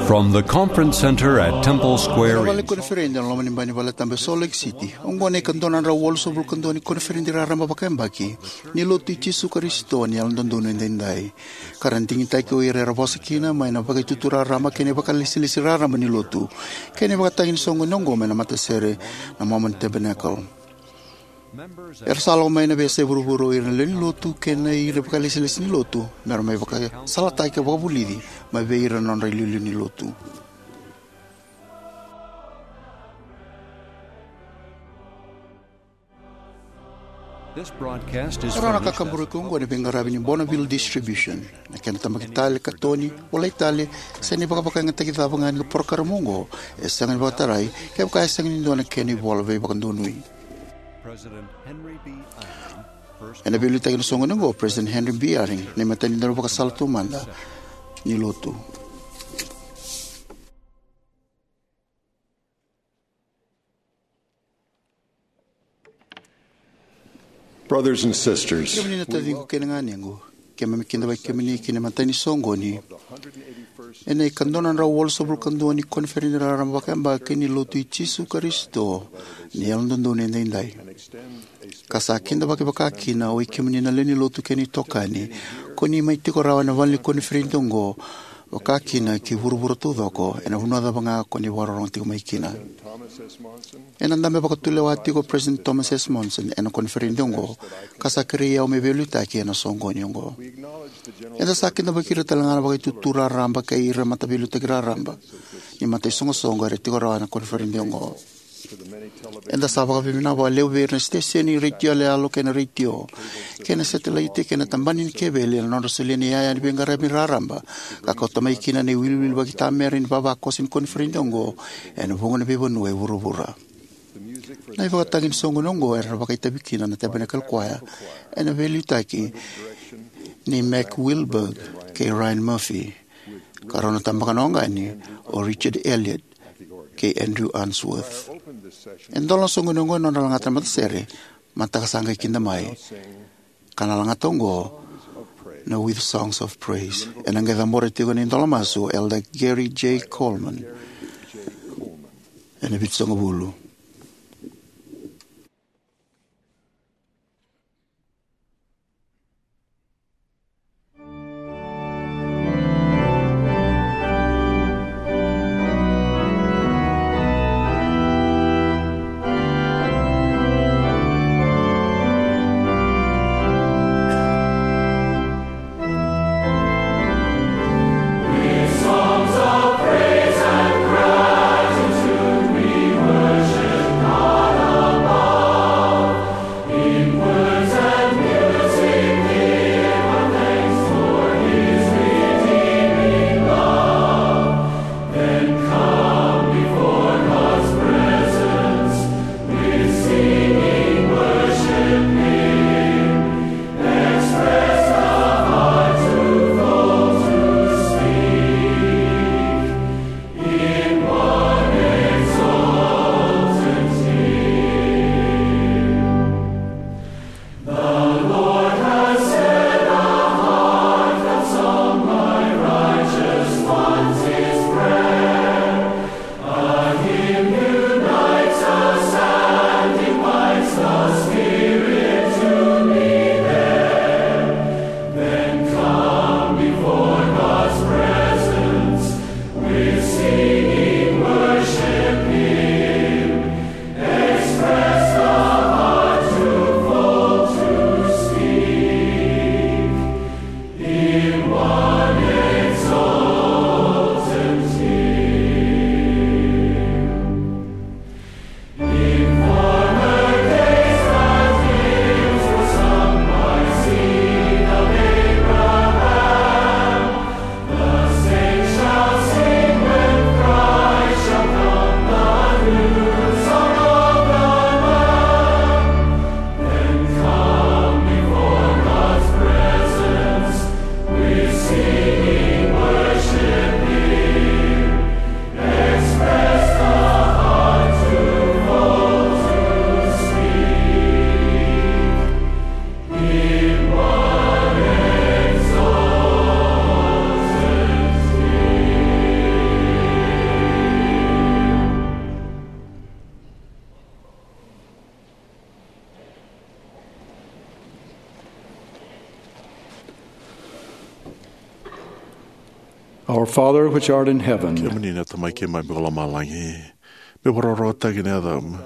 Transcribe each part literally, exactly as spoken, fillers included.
From the conference center at Temple Square. Ena vale ni koniferedi ena loma ni bai ni valetabu e Salt Lake City, oqo na ikadua na drau walusagavulu ka dua ni koniferedi raraba vakayabaki ni Lotu i Jisu Karisito ni Yalododonu Edaidai, ka ra digitaki o ira era vosa kina mai na Vakaitutu Raraba kei na ivakalesilesi raraba ni Lotu kei na ivakatagi ni soqoni oqo mai na matasere na Mormon Tabernacle. Era sa lako mai na veiyasai vuravura o ira na lewe ni Lotu kei na ira na ivakalesilesi ni Lotu me ra mai vakasalataki ka vakavulici mai vei ira na nodra iliuliu ni Lotu. This broadcast is E rawa na from East kakaburaki oqo ena veiqaravi ni Bonneville Distribution. Na kena tabaki tale, katoni, volai tale, se na ivakavakayagataki cava ga ni porokaramu oqo, e sega ni vakatarai kevaka e sega ni dua na kena ivola veivakadonui. President Henry B. Eyring, first Ena veiliutaki ena soqoni oqo o President Henry B. Eyring, na imatai ni daunivakasala taumada ni Lotu. Brothers and sisters, Kemuni na taciqu kei na ganequ, keimami kidavaki kemuni ki na imatai ni soqoni ena ikadua na drau walusagavulu ka dua ni koniferedi raraba vakayabaki ni Lotu i Jisu Karisito ni Yalododonu Edaidai. Ka sa kidavaki vakakina oi kemuni na lewe ni Lotu kei na itokani ko ni mai tiko rawa ena vale ni koniferedi oqo, vakakina ki vuravura taucoko ena vanua cava ga ko ni vakarorogo tiko mai kina. Ena dabe vakatulewa tiko o President Thomas S. Monson ena koniferedi oqo, ka sa kerei au me veiliutaki ena soqoni oqo. Eda sa kidavaki ira tale ga na Vakaitutu Raraba kei ira na mataveiliutaki raraba ni mataisoqosoqo era tiko rawa ena koniferedi oqo. Eda sa vakavinavinaka vakalevu vei ira na siteseni retio yaloyalo kei na retio kei na setelaite kei na tabana ni keveli ena nodra solia na iyaya ni veiqaravi raraba ka kauta mai kina na iwiliwili vakaitamera ni vavakoso ni koniferedi oqo ena vuqa na veivanua e vuravura. Na ivakatagi ni soqoni oqo era vakaitavi kina na Tabernacle Choir ena veiliutaki nei Mac Wilberg kei Ryan Murphy, ka rau na tabaka na oqani o Richard Elliott kei Andrew Unsworth. E dola na soqoni oqo ena nodra lagata na matasere, mataka sa qai kida mai, ka na lagata oqo na With Songs of Praise. Ena qai cabora tiko ena idola masu o Elder Gary J. Coleman ena vitusagavulu. Father which art in heaven, kemuni na Tamai keimami ko lomalagi, me vakarorotaki na yacamu.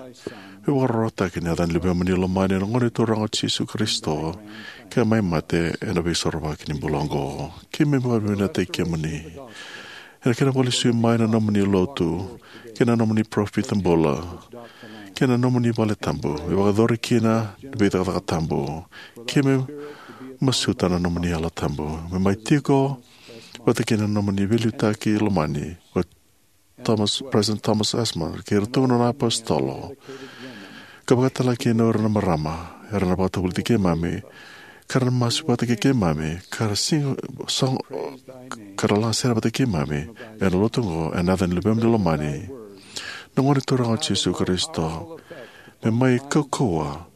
Me vakarorotaki na yaca ni Luvemuni lomani, na Gone Turaga o Jisu Karisito, ka mai mate ena veisorovaki ni bula oqo. Keimami vakavinavinakataki kemuni ena kena vakalesui mai na nomuni lotu kei na nomuni parofita bula kei na nomuni vale tabu me vakayacori kina na veicakacaka tabu. Keimami masuta na nomuni Yalo Tabu me mai tiko vata kei na nomuni veiliutaki lomani, o Thomas, President Thomas S. Monson, kei iratou na nona apositolo, ka vakatalega kina o ira na marama era na vakatavulici keimami, ka ra na masu vata kei keimami, ka ra siga sogo, ka ra lagasere vata kei keimami ena lotu oqo, ena yaca ni Luvemuni lomani, na Gone Turaga o Jisu Karisito, me mai kaukauwa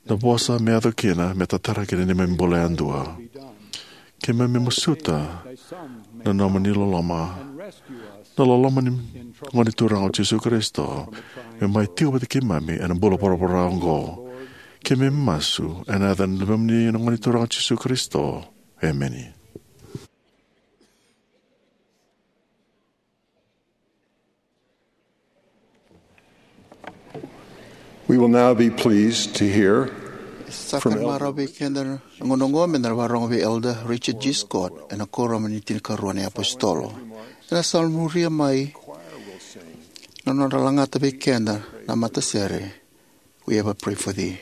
na vosa me yaco kina me tatara kina neimami bula yadua. Keimami masuta na nomuni loloma, na loloma ni Gone Turaga o Jisu Karisito, me mai tiko vata keimami ena bula voravora oqo. Keimami masu ena yaca ni Luvemuni na Gone Turaga o Jisu Karisito. Emeni. We will now be pleased to hear Sa from ka ni Elder marau vei keda na gauna oqo me da na vakarorogo vei Elder Richard G. Scott ena Kuoramu ni Tinikarua ni Apositolo. Ena sa muria mai na nodra lagata vei keda na matasere, "We Ever Pray for Thee."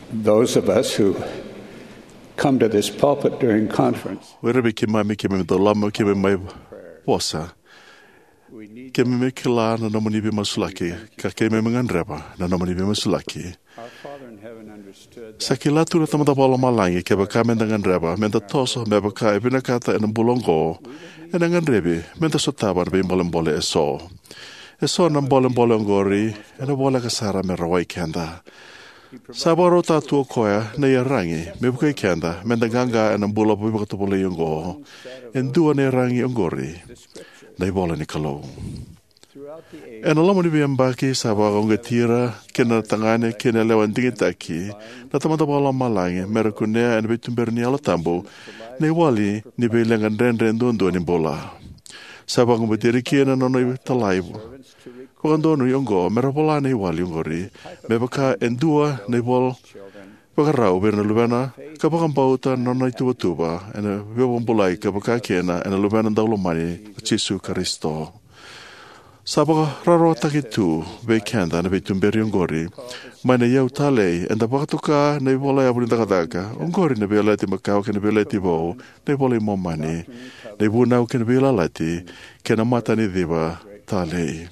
Those of us who come to this pulpit during conference, o ira vei keimami, keimami dau lako, keimami mai vosa, keimami kila na nomuni veimasulaki, ka keimami gadreva na nomuni veimasulaki. Sa kila tu na Tamada Vakalomalagi kevaka meda gadreva meda toso me vaka e vinakata ena bula oqo, ena gadrevi meda sotava na veibolebole eso. Eso na bolebole oqori ena voleka sara me rawai keda. Sa vakarautaka tu o koya na iyaragi me vukei keda meda qaqa ena bula veivakatovolei oqo. E dua na iyaragi oqori na ivola ni Kalou. Ena loma ni veiyabaki sa vakauqeti ira kina na tagane kei na yalewa digitaki na Tamada Vakalomalagi me ra kunea ena veituberi ni Yalo Tabu na iwali ni veileqa dredre duadua ni bula. Sa vakauqeti ira kina na nona italai vakadonui oqo me ra vola na iwali oqori me vaka e dua na ivola vakarau vei ira na luvena, ka vakabauta na nona ituvatuva ena veivakabulai ka vaka kina ena Luvena daulomani o Jisu Karisito. Sa vakarautaki tu vei keda na veituberi oqori mai na iyau talei, eda vakatoka na iVola Yavu ni Cakacaka oqori, na Veiyalayalati Makawa kei na Veiyalayalati Vou, na iVola i Momani, na iVunau kei na Veiyalayalati, kei na Mataniciva Talei.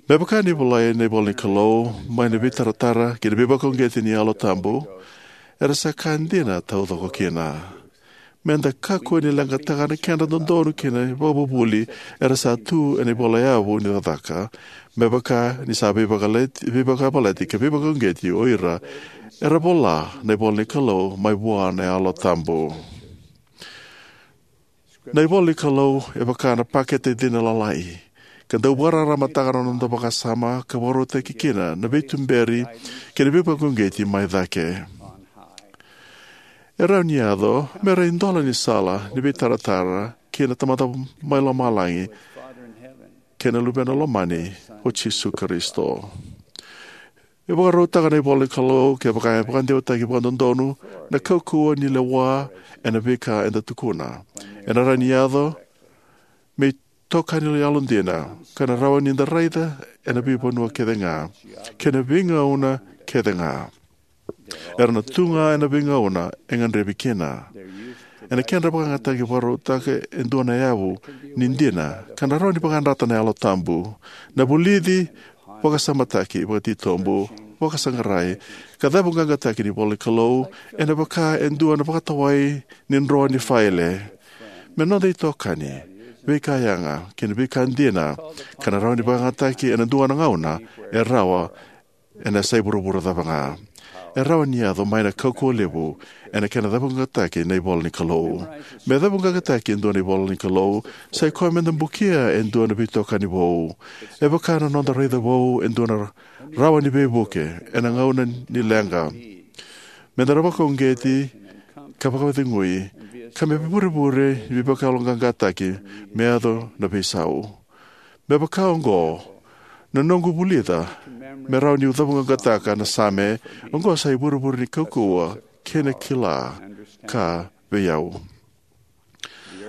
Me vaka ni volai na ivola ni Kalou mai na veitaratara kei na veivakauqeti ni Yalo Tabu, era sa ka dina taucoko kina. Meda kakua ni leqataka na kedra dodonu kei na ivakavuvuli era sa tu ena iVola Yavu ni Cakacaka, me vaka ni sa veivakayalati, veivakayavalati kei veivakauqeti o ira era vola na ivola ni Kalou mai vua na Yalo Tabu. Na ivola ni Kalou e vaka na pakete cina lalai, ka dau vakararamataka na noda vakasama ka vakarautaki kina na veituberi kei na veivakauqeti mai cake. E rawa ni yaco me ra idola ni sala ni veitaratara kei na Tamada mai Lomalagi kei na Luvena lomani o Jisu Karisito. E vakarautaka na ivola ni Kalou kevaka e vakadewataki vakadodonu na kaukauwa ni lewa ena veika eda tukuna. Ena rawa ni yaco me itokani yalodina ka na rawa ni da raica ena veivanua kece ga kei na veigauna kece ga. Era na tu ga ena veigauna e gadrevi kina. Ena kedra vakayagataki vakarautaka e dua na yavu ni dina ka na rawa ni vakayadrata na Yalo Tabu. Na vulici, vakasamataki vakatitobu, vakasaqarai, ka cavuqaqataki ni ivola ni Kalou ena vaka e dua na vakatawai ni dro ni faile. Me noda itokani, veika yaga kei na veika dina ka na rawa ni vakayagataki ena dua na gauna e rawa, ena yasai vuravura cava ga. e rawa ni yaco mai na kaukauwa levu ena kena cavuqaqataki na ivola ni Kalou. Me cavuqaqataki e dua na ivola ni Kalou, sa ikoya me da bukia e dua na veitokani vou. E vaka na noda raica vou e dua na rawa ni veivuke ena gauna ni leqa. Me da na vakauqeti ka vakacegui, ka me vurevure ni veivakayaloqaqataki me yaco na veisau. Me vaka oqo, na noqu vulica me rawa niu cavuqaqataka na Same, oqo sa ivurevure ni kaukauwa kei na kila ka vei au.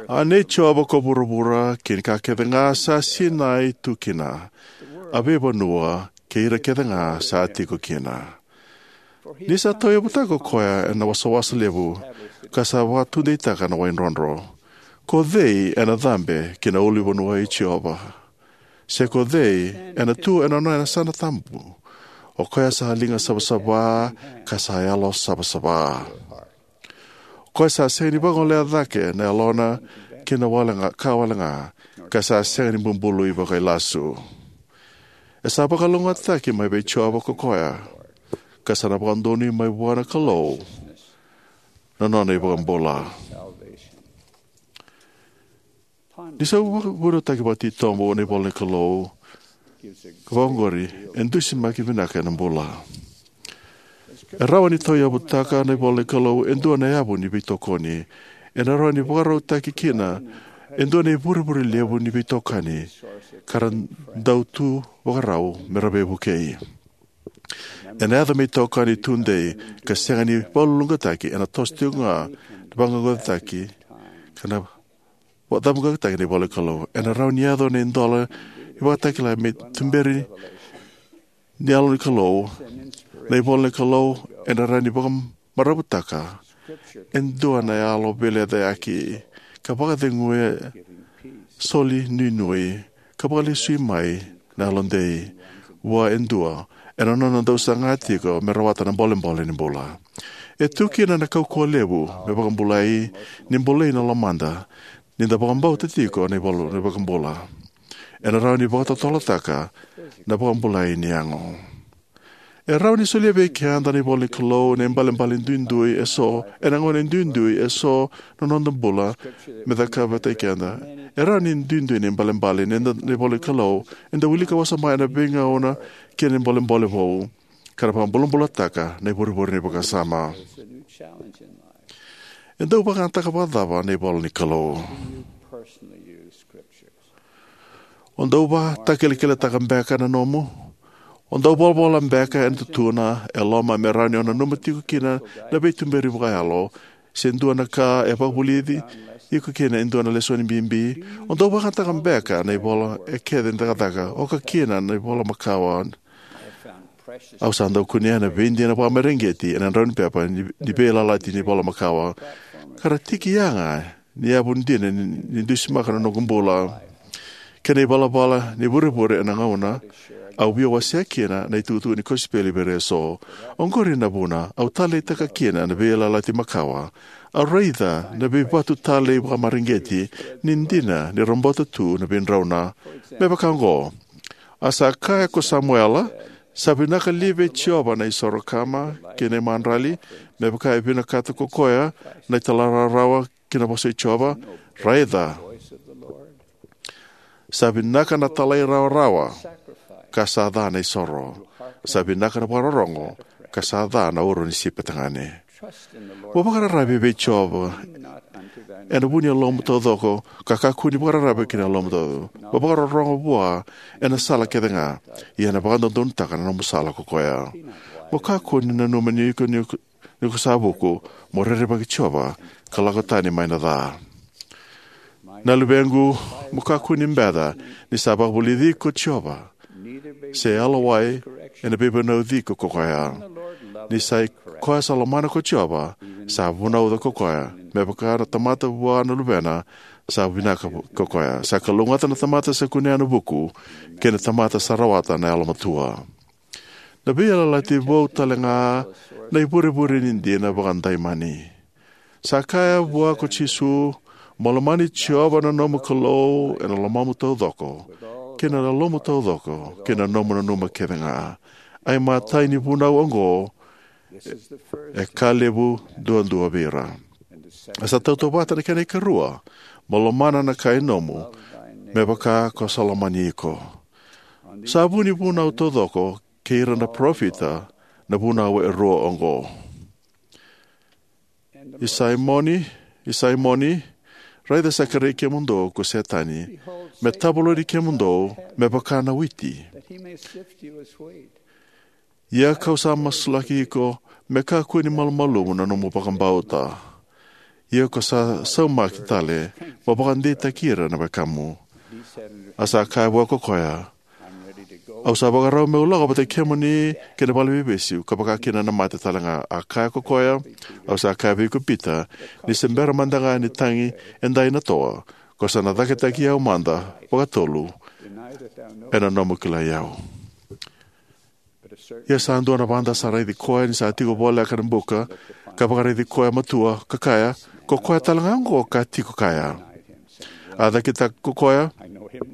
A nei Jiova ko vuravura kei na ka kece ga sa sinai tu kina, a veivanua kei ira kece ga sa tiko kina. Ni sa tauyavutaka ko koya ena wasawasa levu, ka sa vakatudeitaka na wai drodro. Ko cei ena cabe ki na ulunivanua i Jiova? Se ko cei ena tu ena nona yasana tabu? O koya sa liga savasava, ka sa yalo savasava. O koya sa sega ni vagolea cake na yalona ki na wale ga, ka wale ga, ka sa sega ni bubului vakailasu. E sa vakalougatataki mai vei Jiova ko koya, ka sa na vakadonui mai vua na Kalou na nona iVakabula. Ni sa vakavunautaki vakatitobu na ivola ni Kalou, ka vakaoqori, e dusimaki vinaka ena bula. E rawa ni tauyavutaka na ivola ni Kalou e dua na yavu ni veitokoni. Ena rawa ni vakarautaki kina e dua na ivurevure levu ni veitokani, ka ra dau tu vakarau me ra veivukei. Ena yaco me itokani tudei ka sega ni vakaluluqataki, ena toso tiko ga na vaqaqacotaki, ka na vakacavaqaqataki na ivola ni Kalou. Ena rawa ni yaco na idola ni vakatakila me tuberi ni yalo ni Kalou. Na ivola ni Kalou ena rawa ni vakamaravutaka e dua na yalo veilecayaki, ka vakaceguya, soli nuinui, ka vakalesui mai na yalodei vua e dua ena nona dau saga tiko me rawata na bolebole ni bula. E tu kina na kaukauwa levu me vakabulai, ni bolei na lomada, ni da vakabauta tiko na ivola ni vakabula. Ena rawa ni vakatotolotaka na vakabulai ni yago. E rawa ni solia vei keda na ivola ni Kalou na ibalebale duidui eso, ena gauna duidui eso na noda bula, me cakava vata kei keda. E rawa ni duidui na ibalebale ni da, na ivola ni Kalou, eda wilika wasoma ena veigauna kei na bolebole vou, ka na vakabulabulataka na ivurevure ni vakasama. E dau vakayagataka vakacava na ivola ni Kalou? O dau vakatakilakilataka beka na nomu? O dau volavola beka ena tutuna e loma me rawa ni o nanuma tiko kina na veituberi vakayalo, se dua na ka e vakavulici iko kina e dua na lesoni bibi? O dau vakayagataka beka na ivola e kece ni cakacaka, oka kina na ivola makawa? Au sa dau kunea na veidina vakamareqeti ena drau ni pepa ni, ni veiyalayalati ni ivola makawa, ka ra tiki yaga ni yavu dina ni, ni dusimaka na noqu bula. Kei na ivalavala ni vurevure ena gauna au via wasea kina na itukutuku ni kosipeli vei ira eso. Oqori na vuna au taleitaka kina na veiyalayalati makawa. Au raica na veivatu talei vakamareqeti ni dina ni robota tu na veidrauna. Me vaka oqo, a sa kaya ko Samuela, sa vinaka li vei Jiova na isoro kama kei na imadrali, me vaka e vinakata ko koya na italairawarawa ki na vosa i Jiova? Raica, sa vinaka na talairawarawa, ka sa ca na isoro. Sa vinaka na vakarorogo, ka sa ca na uro ni sipi tagane. Mo vakararavi vei Jiova ena vu ni yalomu taucoko, ka kakua ni vakararavi ki na yalomu taucoko. Mo vakarorogo vua ena sala kece ga, ia ena vakadodonutaka na nomu sala ko koya. Mo kakua ni nanuma ni iko, ni iko, ni ko sa vuku. Mo rerevaki Jiova, ka lako tani mai na ca. Na luvequ, mo kakua ni beca ni sa vakavulici iko ko Jiova, se yalowai ena veivunauci iko ko koya. Ni sa i koya sa lomana ko Jiova, sa vunauca ko koya, me vaka na tamata vua na luvena, sa vinaka ko koya. Sa kalougata na tamata sa kunea na vuku, kei na tamata sa rawata na yalomatua. Na veiyalayalati vou tale ga na ivurevure ni dina vakadaimani. Sa kaya vua ko Jisu, mo lomani Jiova na nomu Kalou ena lomamu taucoko, kei na yalomu taucoko, kei na nomu nanuma kece ga. A imatai ni vunau oqo e ka levu duadua vei ira. A sa tautauvata na kena ikarua, mo lomana na kai nomu, me vaka ko sa lomani iko. Sa vu ni vunau taucoko kei ira na parofita na vunau e rua oqo. I Saimoni, i Saimoni, raica sa kerei kemudou ko Setani, me tavalodi kemudou, me vaka na witi. Ia kau sa masulaki iko, me kakua ni malumalumu na nomu vakabauta. Ia ko sa saumaki tale, mo vakadeitaki ira na wekamu. A sa kaya vua ko koya, au sa vakarau meu lako vata kemuni ki na vale ni veivesu, ka vaka kina na mate tale ga. A kaya ko koya, au sa kaya vei iko Pita, ni se bera mada ga ni tagi e dai na toa, ko sa na cakitaki au mada vakatolu, ena nomu kilai au. Ia sa dua na vada sa raici koya ni sa tiko voleka na buka, ka vakaraici koya matua, ka kaya, ko koya tale ga oqo ka tiko kaya. A cakitaka ko koya,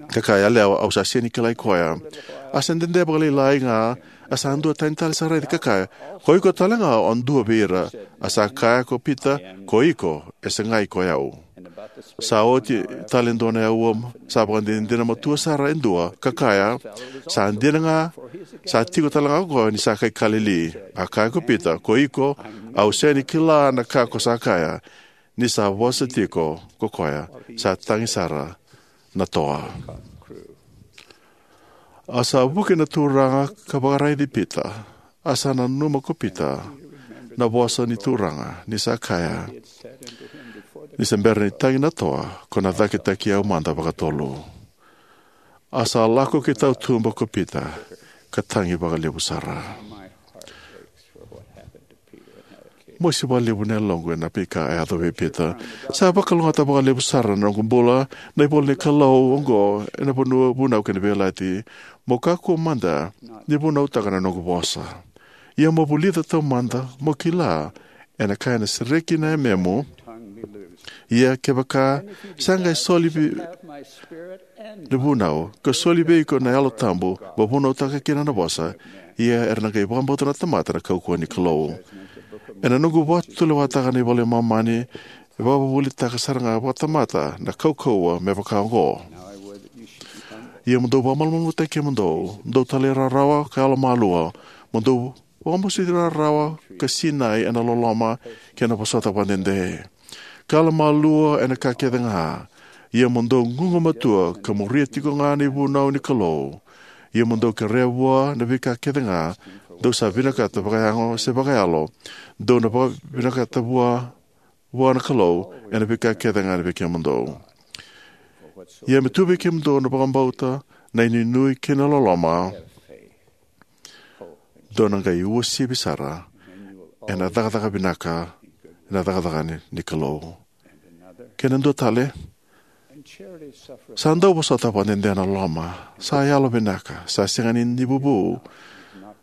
ka kaya, yalewa, au sa sega ni kilai koya. A sa dede vakalailai ga, a sa dua tani tale sa raici ka kaya, ko iko tale ga o dua vei ira. A sa kaya ko Pita, ko iko, e segai ko yau. Sa oti tale dua na aua, sa vakadinadina matua sara e dua, ka kaya, sa dina ga, sa tiko tale ga ko koya ni sa kai Kalili. A kaya ko Pita, ko iko, au sega ni kila na ka ko sa kaya, ni sa vosa tiko ko koya, sa tagi sara na toa. A sa vuki na Turaga ka vakaraici Pita, a sa nanuma ko Pita na vosa ni Turaga, ni sa kaya, ni se bera ni tagi na toa, ko na cakitaki au mada vakatolu. A sa lako ki tautuba ko Pita, ka tagi vakalevu sara. Mosi vakalevu na yaloqu ena veika a yaco vei Pita. Sa vakalougatataka vakalevu sara na noqu bula na ivola ni Kalou oqo ena vanua vunau kei na veiyalayalati. Mo kakua mada ni vunautaka na noqu vosa. Ia mo vulica taumada, mo kila, ena ka ena sereki na yamemu. Ia kevaka sa qai soli vei na vunau, ka soli vei iko na Yalo Tabu, mo vunautaka kina na vosa, ia era na qai vakabauta na tamata na kaukauwa ni Kalou. Ena noqu vakatulewataka na iVola i Momani, e vakavuvulitaka sara ga vakatamata na kaukauwa me vaka oqo. Ia mo dou vakamalumalumutaki kemudou, dou talairawarawa ka yalomalua, mo dou vakamasuti rawarawa ka sinai ena loloma kei na vosota vakadede. Ka yalomalua ena ka kece ga, ia mo dou gugumatua ka muria tiko ga na ivunau ni Kalou. Ia mo dou kerea vua na veika kece ga dou sa vinakata vakayago se vakayalo, dou na vakavinakata vua, vua na Kalou ena veika kece ga vei kemudou. Ia me tu vei kemudou na vakabauta, na inuinui kei na loloma. Dou na qai uasivi sara ena cakacaka vinaka, ena cakacaka ni, ni Kalou. Kei na dua tale, sa dau vosota vakadede na loloma, sa yalovinaka, sa sega ni, ni vuvu,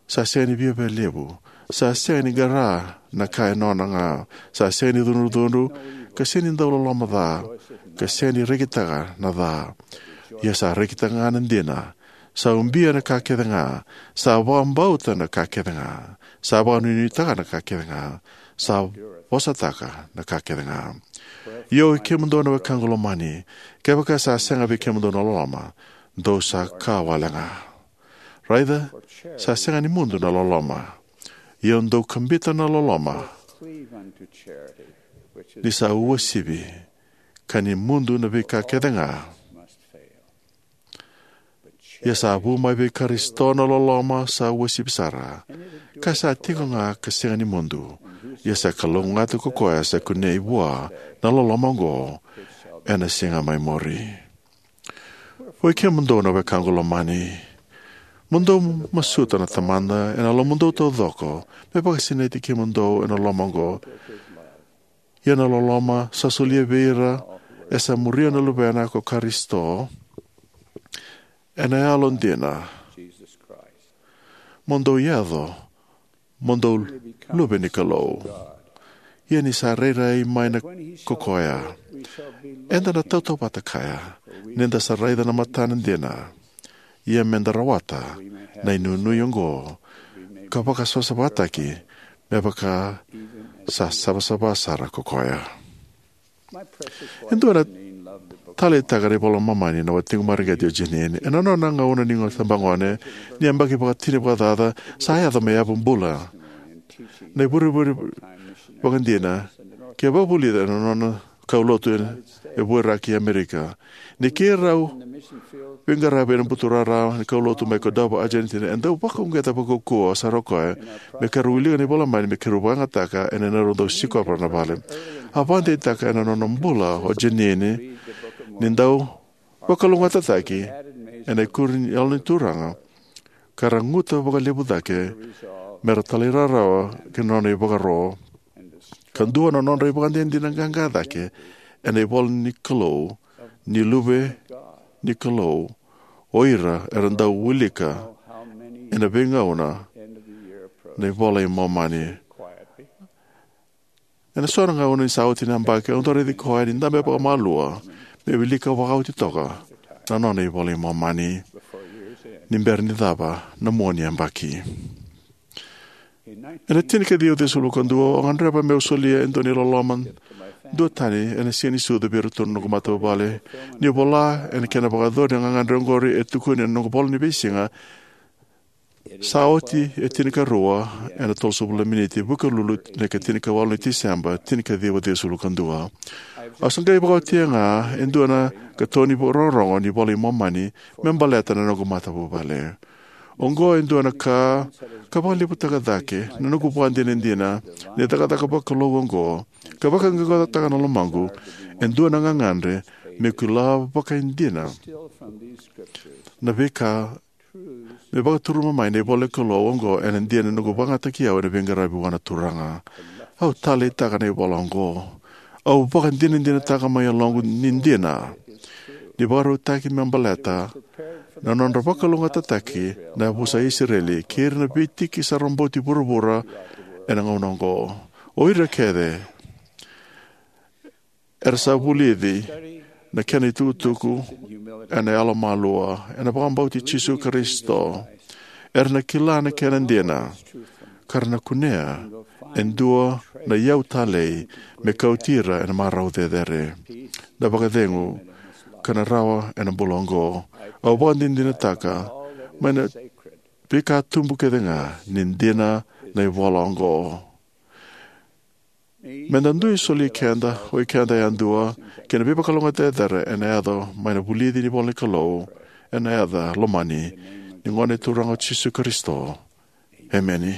sa sega ni viavialevu, sa sega ni qara na ka e nona ga, sa sega ni cudrucudru, ka sega ni dau loloma ca, ka sega ni rekitaka na ca. Ia sa rekitaka ga na dina, sa ubia na ka kece ga, sa vakabauta na ka kece ga, sa vakanuinuitaka na ka kece ga, sa vosataka na ka kece ga. Ia oi kemudou na wekaqu lomani, kevaka sa sega vei kemudou na loloma, dou sa ka wale ga. Raica, sa sega ni mudu na loloma. Ia dou kabita na loloma, ni sa uasivi, ka ni mudu na veika kece ga. Ia sa vu mai vei Karisito na loloma sa uasivi sara, ka sa tiko ga ka sega ni mudu. Ia sa kalougata ko koya sa kunei vua na loloma oqo ena siga mai muri. Oi kemudou na wekaqu lomani, mo dou masuta na Tamada ena lomamudou taucoko, me vakasinaiti kemudou ena loloma oqo. Ia na loloma sa solia vei ira e sa muria na Luvena ko Karisito ena yalodina. Mo dou yaco mo dou luve ni Kalou. Ia ni sa rairai mai na ko koya, eda na tautauvata kaya, ni da sa raica na matana dina. Ia me da rawata na inuinui oqo, ka vakasavasavataki me vaka sa savasava sara ko koya. E dua na taleitaka na iVola i Momani na watiqu mareqeti o Jeanene. Ena nona gauna ni tabagone, ni yabaki vakatini vakacaca, sa yaco me yavu bula na ivurevure vakadina, ke vakavulica ena nona kaulotu e Vuaraki Amerika. Ni keirau veiqaravi ena buturara ni kaulotu mai Córdoba, Argentina, e dau vakauqeta vakaukauwa sara o koya me keirau wilika na iVola i Momani me keirau vakayagataka ena neirau dau sikova na vale. A vakadeitaka ena nona bula o Jeanene ni dau vakalougatataki ena ikuri ni Yalo ni Turaga, ka ra guta vakalevu cake me ra talairawarawa ki na nona ivakaro. Ka dua na nodra ivakadinadina qaqa cake ena ivola ni Kalou, ni luve ni Kalou, o ira era dau wilika ena veigauna na iVola i Momani. Ena so na gauna ni sa oti na yabaki, au dau raici koya ni dabe vakamalua me wilika vakaoti toka na nona iVola i Momani ni bera ni cava na mua ni yabaki. Ena tinikaciwa ciwasagavulu ka dua, au gadreva meu solia e dua na iloloma duatani ena Siga ni Sucu vei iratou na noqu matavuvale. Niu vola ena kena vakayacori na gagadre oqori e tukuni ena noqu ivola ni veisiga, sa oti e tinikarua ena tolusagavulu na miniti, vukelulu na ika tinikawalu ni Tiseba, tinikaciwa ciwasagavulu ka dua. Au sa qai vakaotia ga e dua na katoni vakarorogo ni iVola i Momani me baleta na noqu matavuvale. Oqo e dua na ka ka vakalevutaka cake na noqu vakadinadina ni cakacaka vakalou oqo, ka vakaoqaoqataka na lomaqu e dua na gagadre meu kila vakaidina na veika me vakaturuma mai na ivola ni Kalou oqo ena dina ni noqu vakayagataki au ena veiqaravi vua na Turaga. Au taleitaka na ivola oqo. Au vakadinadinataka mai yaloqu ni dina, ni vakarautaki me baleta na nodra vakalougatataki na yavusa i Isireli kei ira na veitiki sa roboti vuravura ena gauna oqo. O ira kece era sa vulici na kena itukutuku ena yalomalua, ena vakabauti Jisu Karisito, era na kila na kena dina, ka ra na kunea e dua na iyau talei me kauti ira ena marau cecere, na vakacegu, ka na rawa ena bula oqo. Au vakadinadinataka mai na veika tubu kece ga ni dina na ivola oqo. Me da dui soli keda, o ikeda yadua, kei na veivakalougatataki cecere ena yaco mai na vulici ni ivola ni Kalou, ena yaca lomani ni Gone Turaga o Jisu Karisito. Emeni.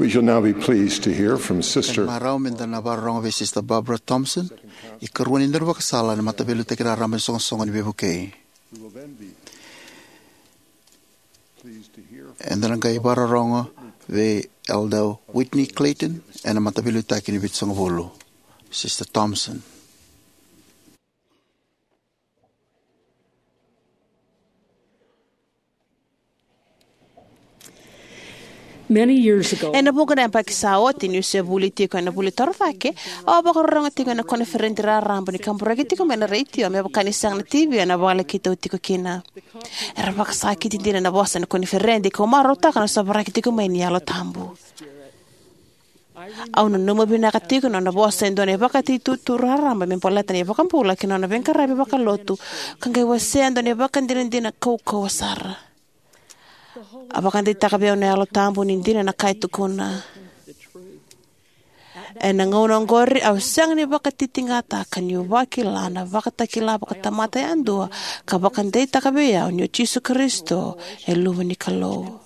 You'll now be pleased to hear from Sister. Marau me da na vakarorogo vei Sister Barbara Thompson, ikarua ni daunivakasala ena Mataveiliutaki Raraba ni Soqosoqo ni Veivukei. Eda na qai vakarorogo vei Elder Whitney Clayton ena Mataveiliutaki ni Vitusagavulu. Sister Thompson. Many years ago, ena vuqa na yabaki sa oti, niu se vuli tiko ena vuli torocake, au a vakarorogo tiko ena koniferedi raraba ni kaburaki tiko mai na retio, me vaka ni sega na T V ena vale keitou tiko kina. Era vakasakiti dina na vosa ena koniferedi, kau marautaka na sovaraki tiko mai ni Yalo Tabu. Au nanuma vinaka tiko na nona vosa e dua na ivakatituturu raraba me baleta na iVakabula kei na nona veiqaravi vakalotu, ka qai wasea e dua na ivakadinadina kaukauwa sara. A vakadeitaka vei au na Yalo Tabu ni dina na ka e tukuna. Ena gauna oqori au sega ni vakatitiqataka niu vakila na vakatakila vakatamata yadua ka vakadeitaka vei au ni o Jisu Karisito e Luve ni Kalou.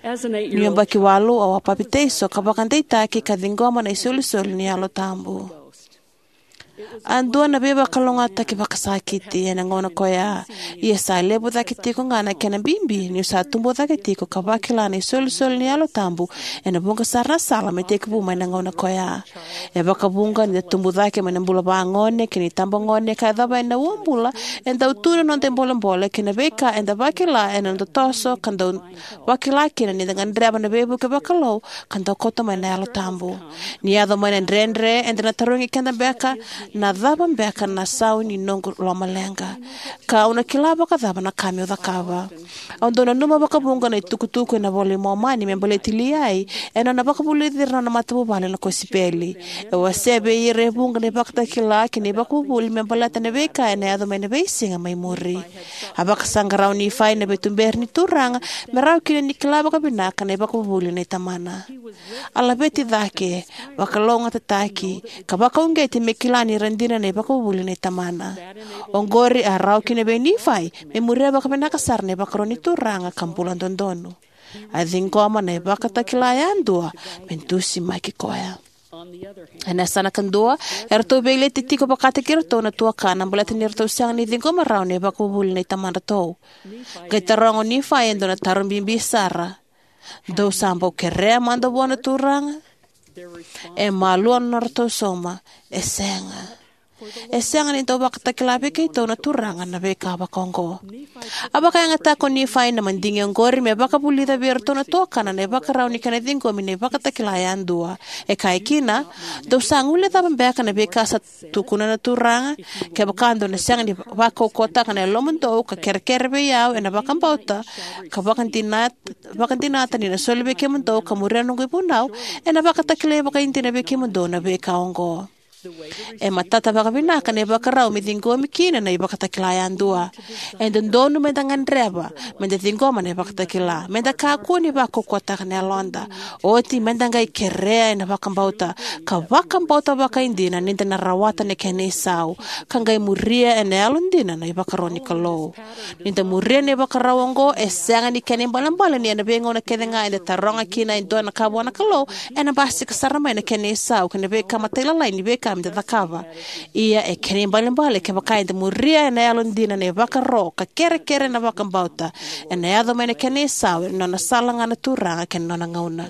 Niu yabaki walu, au a papitaiso ka vakadeitaki ka ciqoma na isolisoli ni Yalo Tabu. A dua na veivakalougatataki vakasakiti ena gauna koya, ia sa levu cake tiko ga na kena bibi niu sa tubu cake tiko ka vakila na isolisoli ni Yalo Tabu ena vuqa sara na sala me tekivu mai na gauna koya. E vakavuqa ni da tubu cake mai na bula vagone kei na itabagone ka yacova yani na uabula, e dau tu na noda ibolebole kei na veika eda vakila ena noda toso ka dau vakila kina ni da gadreva na veivuke vakalou ka dau kauta mai na Yalo Tabu. Ni yaco mai na dredre, eda na tarogi keda beka, na cava beka na sau ni noqu lomaleqa? Ka au na kila vakacava na ka meu cakava? Au dau nanuma vakavuqa na itukutuku ena iVola i Momani me baleti Liai ena nona vakavulici ira na nona matavuvale na kosipeli. E wasea vei ira e vuqa na ivakatakila kei na ivakavuvuli me baleta na veika ena yaco mai na veisiga mai muri. A vakasaqara o Nifai na veituberi ni Turaga me rawa kina ni kila vakavinaka na ivakavuvuli nei tamana. A laveti cake, vakalougatataki, ka vakauqeti me kila ni ra dina na ivakavuvuli nei tamana. Oqori a rawa kina vei Nifai me muria vakavinaka sara na ivakaro ni Turaga ka bula dodonu. A ciqoma na ivakatakila yadua me dusimaki koya. Ena yasana kadua, eratou veileti tiko vakataki iratou na tuakana baleta ni ratou sega ni ciqoma rawa na ivakavuvuli nei tamadratou. Qai taroga o Nifai e dua na taro bibi sara: Dou sa bau kerea mada vua na Turaga? E malua na nodratou sauma: E sega. E sega ni dau vakatakila vei keitou na Turaga na veika vakaoqo. A vakayagataka o Nifai na madigi oqori me vakavulica vei iratou na tuakana na ivakarau ni kena ciqomi na ivakatakila yadua. E kaya kina: Dou sa guilecava beka na veika sa tukuna na Turaga? Kevaka dou na sega ni vakaukauwataka na yalomudou ka kerekere vei au ena vakabauta, ka vakadinata, vakadinata ni na soli vei kemudou ka muria na noqu ivunau, ena vakatakilai vakaidina vei kemudou na veika oqo. E matata vakavinaka na ivakarau me ciqomi kina na ivakatakila yadua. E dodonu meda gadreva meda ciqoma na ivakatakila, meda kakua ni vakaukauwataka na yaloda. Oti meda qai kerea ena vakabauta, ka vakabauta vakaidina ni da na rawata na kena isau, ka qai muria ena yalodina na ivakaro ni Kalou. Ni da muria na ivakarau oqo, e sega ni kena ibalebale ni ena veigauna kece ga eda taroga kina e dua na ka vua na Kalou, ena basika sara mai na kena isau kei na veika matailalai ni veika meda cakava. Ia e kena ibalebale kevaka eda muria ena yalodina na ivakaro ka kerekere ena vakabauta, ena yaco mai na kena isau ena nona sala ga na Turaga kei na nona gauna.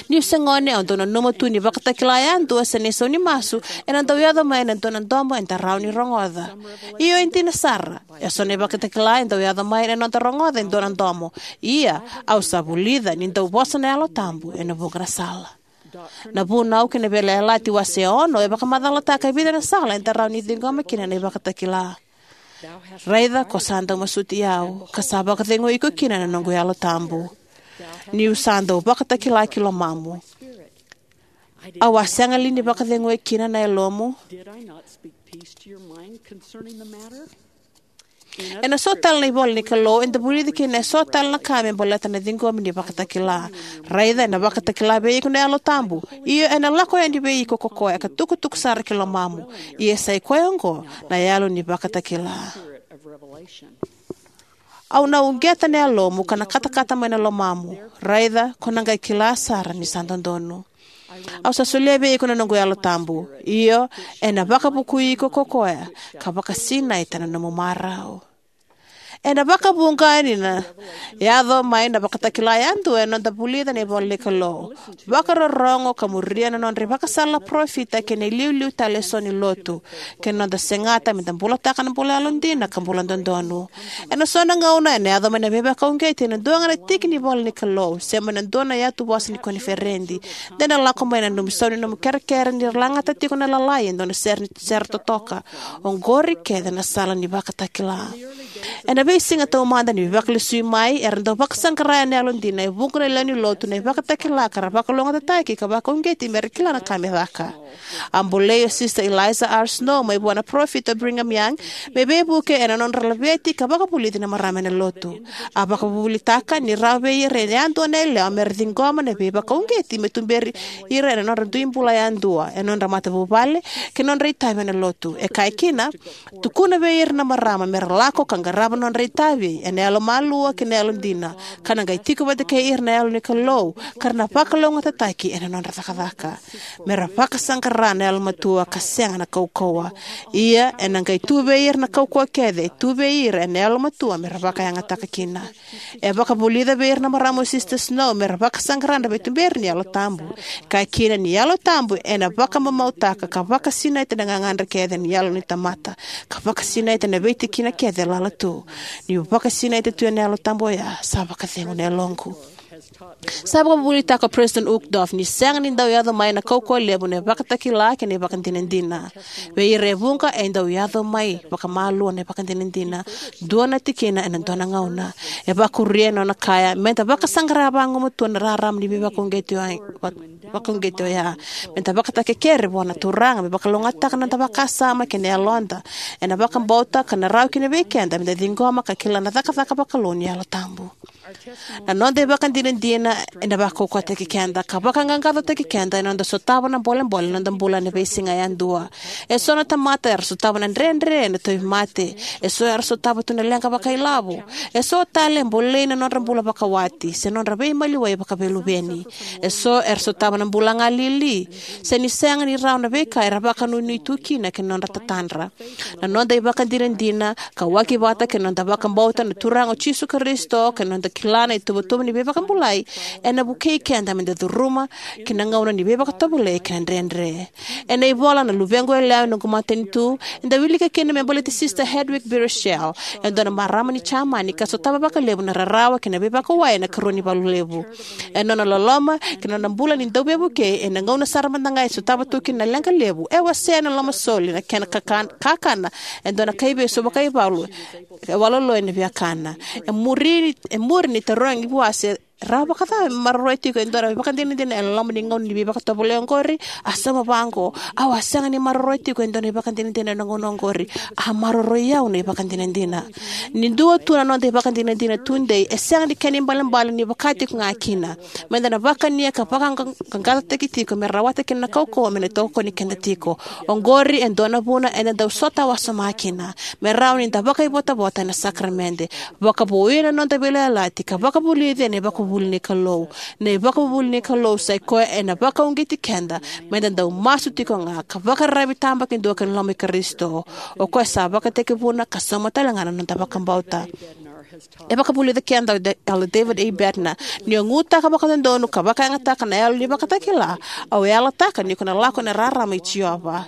Niu se gone, au dau nanuma tu ni vakatakila yadua se na isau ni masu ena dau yaco mai ena dua na domo eda rawa ni rogoca. Io, e dina sara, eso na ivakatakila e dau yaco mai ena noda rogoca e dua na domo. Ia au sa vulica ni dau vosa na Yalo Tabu ena vuqa na sala. Na Vunau kei na Veiyalayalati wase ono e vakamacalataka e vica na sala eda rawa ni ciqoma kina na ivakatakila. Raica ko sa dau masuti au, ka sa vakacegui iko kina na noqu Yalo Tabu. Niu sa dau vakatakila ki lomamu, au a sega li ni vakacegui kina na yalomu? Ena so tale na ivola ni Kalou eda vulica kina eso tale na ka me baleta na ciqomi ni vakatakila. Raica, ena vakatakila vei iko na Yalo Tabu. Io, ena lako yani vei iko ko koya ka tukutuku sara ki lomamu. Ia sa i koya oqo na yalo ni vakatakila. Au na uqeta na yalomu ka na katakata mai na lomamu. Raica, ko na qai kila sara ni sa dodonu. Au sa solia vei iko na noqu Yalo Tabu. Io, ena vakavukui iko ko koya, ka vakasinaita na nomu marau. Ena vakavuqa ni na yaco mai na vakatakila yadua ena noda vulica na ivola ni Kalou, vakarorogo ka muria na nodra ivakasala na parofita kei na iliuliu tale eso ni lotu, kei na noda segata me da bulataka na bula yalodina ka bula dodonu. Ena so na gauna ena yaco mai na veivakauqeti ena dua ga na tiki ni ivola ni Kalou, se mai na dua na yatu vosa ni koniferedi. De na lako mai na nomu isau ni nomu kerekere ni ra lagata tiko na lalai e dua na sere, sere totoka. Oqori kece na sala ni vakatakila. Ena veisiga taumada ni veivakalesui mai, era dau vakasaqara ena yalodina e vuqa na lewe ni lotu na ivakatakila ka ra vakalougatataki ka vakauqeti me ra kila na ka me caka. A bolei o Sister Eliza R. Snow mai vua na parofita o Brigham Young me veivuke ena nodra laveti ka vakavulici na marama ena lotu. A vakavuvulitaka ni rawa vei ira e yadua na yalewa me ra ciqoma na veivakauqeti me tuberi ira ena nodra dui bula yadua, ena nodra matavuvale, kei na nodra itavi ena lotu. E kaya kina, tukuna vei ira na marama me ra lako ka qarava na nodra itavi ena yalomalua kei na yalodina, ka na qai tiko vata kei ira na Yalo ni Kalou, ka ra na vakalougatataki ena nodra cakacaka. Me ra vakasaqara na yalomatua ka sega na kaukauwa. Ia, ena qai tu vei ira na kaukauwa kece e tu vei ira ena yalomatua me ra vakayagataka kina. E vakavulica vei ira na marama o Sister Snow me ra vakasaqara na veituberi ni Yalo Tabu. Kaya kina ni Yalo Tabu ena vakamamautaka ka vakasinaita na gagadre kece ni yalo ni tamata, ka vakasinaita na veitikina kece e lala tu. Niu vakasinaita tu ena Yalo Tabu oya, sa vakacegu na yaloqu. Sa vakavuvulitaka o President Uchtdorf ni sega ni dau yaco mai na kaukauwa levu na ivakatakila kei na ivakadinadina. Vei ira e vuqa e dau yaco mai vakamalua na ivakadinadina, dua na tikina ena dua na gauna. E vakuria ena nona kaya, me da vakasaqara vagumatua na rarama ni veivakauqeti oya, va-, vakauqeti oya. Me da vakatakekere vua na Turaga me vakalougatataka na noda vakasama kei na yaloda ena vakabauta, ka na rawa kina vei keda me da ciqoma ka kila na cakacaka vakalou ni Yalo Tabu. Na noda ivakadinadina ena vakaukauwataki keda ka vakaqaqacotaki keda ena noda sotava na bolebole ena noda bula ena veisiga yadua. Eso na tamata era sotava na dredre ena tauvimate. Eso era sotava tu na leqa vakailavo. Eso tale e bolei na nodra bula vakawati se nodra veimaliwai vakaveiluveni. Eso era sotava na bula galili, se ni sega ni rawa na veika era vakanuinui tu kina kei na nodra tatadra. Na noda ivakadinadina, kauwaki vata kei na noda vakabauta na Turaga o Jisu Karisito kei na noda kila na ituvatuva ni veivakabulai, ena vukei keda me da curuma ki na gauna ni veivakatovolei kei na dredre. Ena ivola Na Luvequ Yalewa, Noqu Matanitu, eda wilika kina me baleti Sister Hedwig Biereichel, e dua na marama ni Jamani ka sotava vakalevu na rarawa kei na veivakawai ena ikarua ni valu levu. Ena nona loloma kei na nona bula ni dauveivukei, ena gauna sara mada ga e sotava tu kina na leqa levu, e wasea ena lomasoli na kena kakan-, kakana e dua na kaivesu vakaivalu e waloloi na viakana. E muri, e muri ni tarogi vua se rawa vakacava me maroroi tiko e dua na ivakadinadina ena loma ni gauna ni veivakatovolei oqori, a sauma vaqo: "Au a sega ni maroroi tiko e dua na ivakadinadina ena gauna oqori. A maroroi au na ivakadinadina." Ni dua tu na noda ivakadinadina tudei, e sega ni kena ibalebale ni vaka tiko ga kina. Meda na vakania ka vakaqaqacotaki tiko me rawata kina na kaukauwa me na tokoni keda tiko. Oqori e dua na vuna eda dau sota wasoma kina, me rawa ni da vakaivotavota ena sakaramede, vakavouya na noda veiyalayalati, ka vakavulici ena ivakavuvuli ni Kalou. Na ivakavuvuli ni Kalou sa i koya ena vakauqeti keda meda dau masu tiko ga ka vakararavi tabakidua ki na loma i Karisito, o koya sa vakatekivuna ka sauma tale ga na noda vakabauta. E vakavulica keda o Da-, Elder David A. Bednar: "Niu gutaka vakadodonu ka vakayagataka na yalo ni vakatakila, au yalataka ni ko na lako ena rarama i Jiova."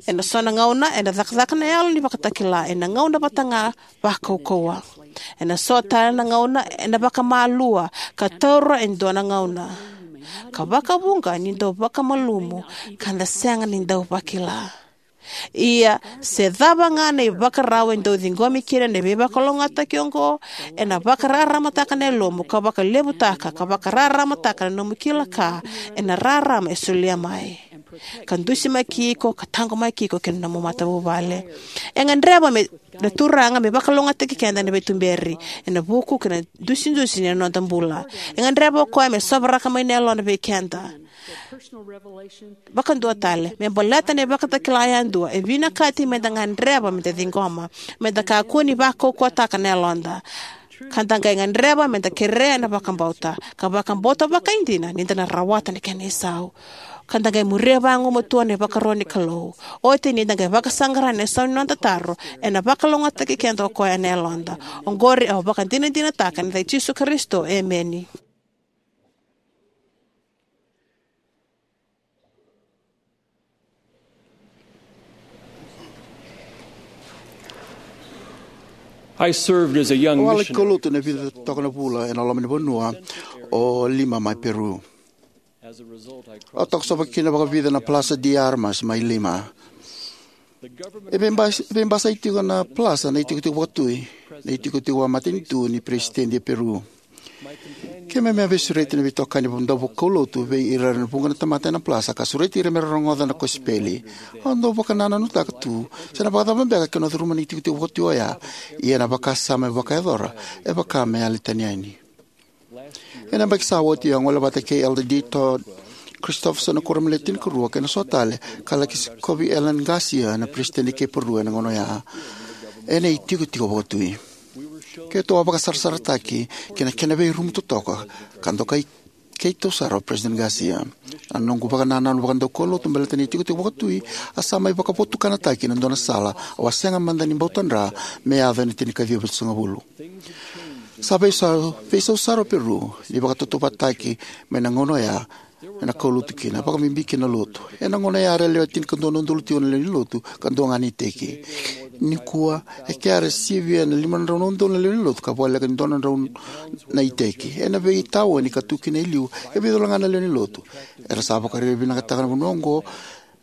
Ena so na gauna ena cakacaka na yalo ni vakatakila ena gauna vata ga vakaukauwa. Ena so tale na gauna ena vakamalua ka taura e dua na gauna, ka vakavuqa ni dau vakamalumu ka da sega ni dau vakila. Ia, se cava ga na ivakarau e dau ciqomi kina na veivakalougatataki oqo, ena vakararamataka na yalomu, ka vakalevutaka, ka vakararamataka na nomu kila ka ena rarama e solia mai, ka dusimaki iko, ka taqomaki iko kei na nomu matavuvale. E gadreva me, na Turaga me vakalougatataki keda ena veituberi, ena vuku kei na dusidusi ni noda bula. E gadreva o koya me sovaraka mai na yalona vei keda. Vakadua tale, me baleta na ivakatakila yadua, e vinakati me da gadreva me da ciqoma, me da kakua ni vakaukauwataka na yaloda, ka da qai gadreva me da kerea na vakabauta, ka vakabauta vakaidina ni da na rawata na kena isau, ka da qai muria vagumatua na ivakaro ni Kalou. Oti ni da qai vakasaqara na isau ni noda taro, ena vakalougatataki keda o koya ena yaloda. Oqori au vakadinadinataka ena yaca i Jisu Karisito, emeni. I served as a young Au a laki missionary kaulotu na vica toka na vula ena loma ni vanua o Lima mai Peru. As a result, I Au crossed toka sova kina vakavica na Plaza de Armas mai Lima. E veibas- e veibasai tiko na plaza na itikotiko vakatui, na itikotiko vakamatanitu ni peresitedi e Peru. Keimami a veisureti na veitokani dauvakaulotu vei ira na vuqa na tamata ena plaza ka sureti ira me ra rogoca na kosipeli. Au dau vakanananutaka tu se na vakacava beka ke na curuma na itikotiko vakatui oya, ia na vakasama e vakayacora e vaka me yali tani yani. Ena yabaki sa oti au a gole vata kei Elder D. Todd Christofferson na kuoramu ni Le Tinikarua kei na so tale, ka laki sikovi Alan García, na peresitedi kei Peru ena gauna oya, ena itikotiko vakatui. Keitou a vakasarasarataki ki na kena veirumu totoka, ka dokai keitou sara o Peresitedi García. Na noqu vakanananu vakadaukaulotu baleta na itikotiko vakatui a sa mai vakavotukanataki ena dua na sala au a sega mada ni bau tadra me yaco ena tinikaciwa vitusagavulu. Sa veisau, veisau sara o Peru ni vakatautauvatataki mai na gauna oya ena kaulotu kina, vakabibi kina na lotu. Ena gauna oya era lewe tinikadua na udolu tiko na lewe ni lotu ka dua ga na iteki. Nikua, e kea era sivia na lima na drau na udolu na lewe ni lotu ka voleka ni dua na drau na iteki. Ena veitaoni ka tu kina e liu, e vica wale ga na lewe ni lotu. Era sa vakarairai vinakataka na vanua oqo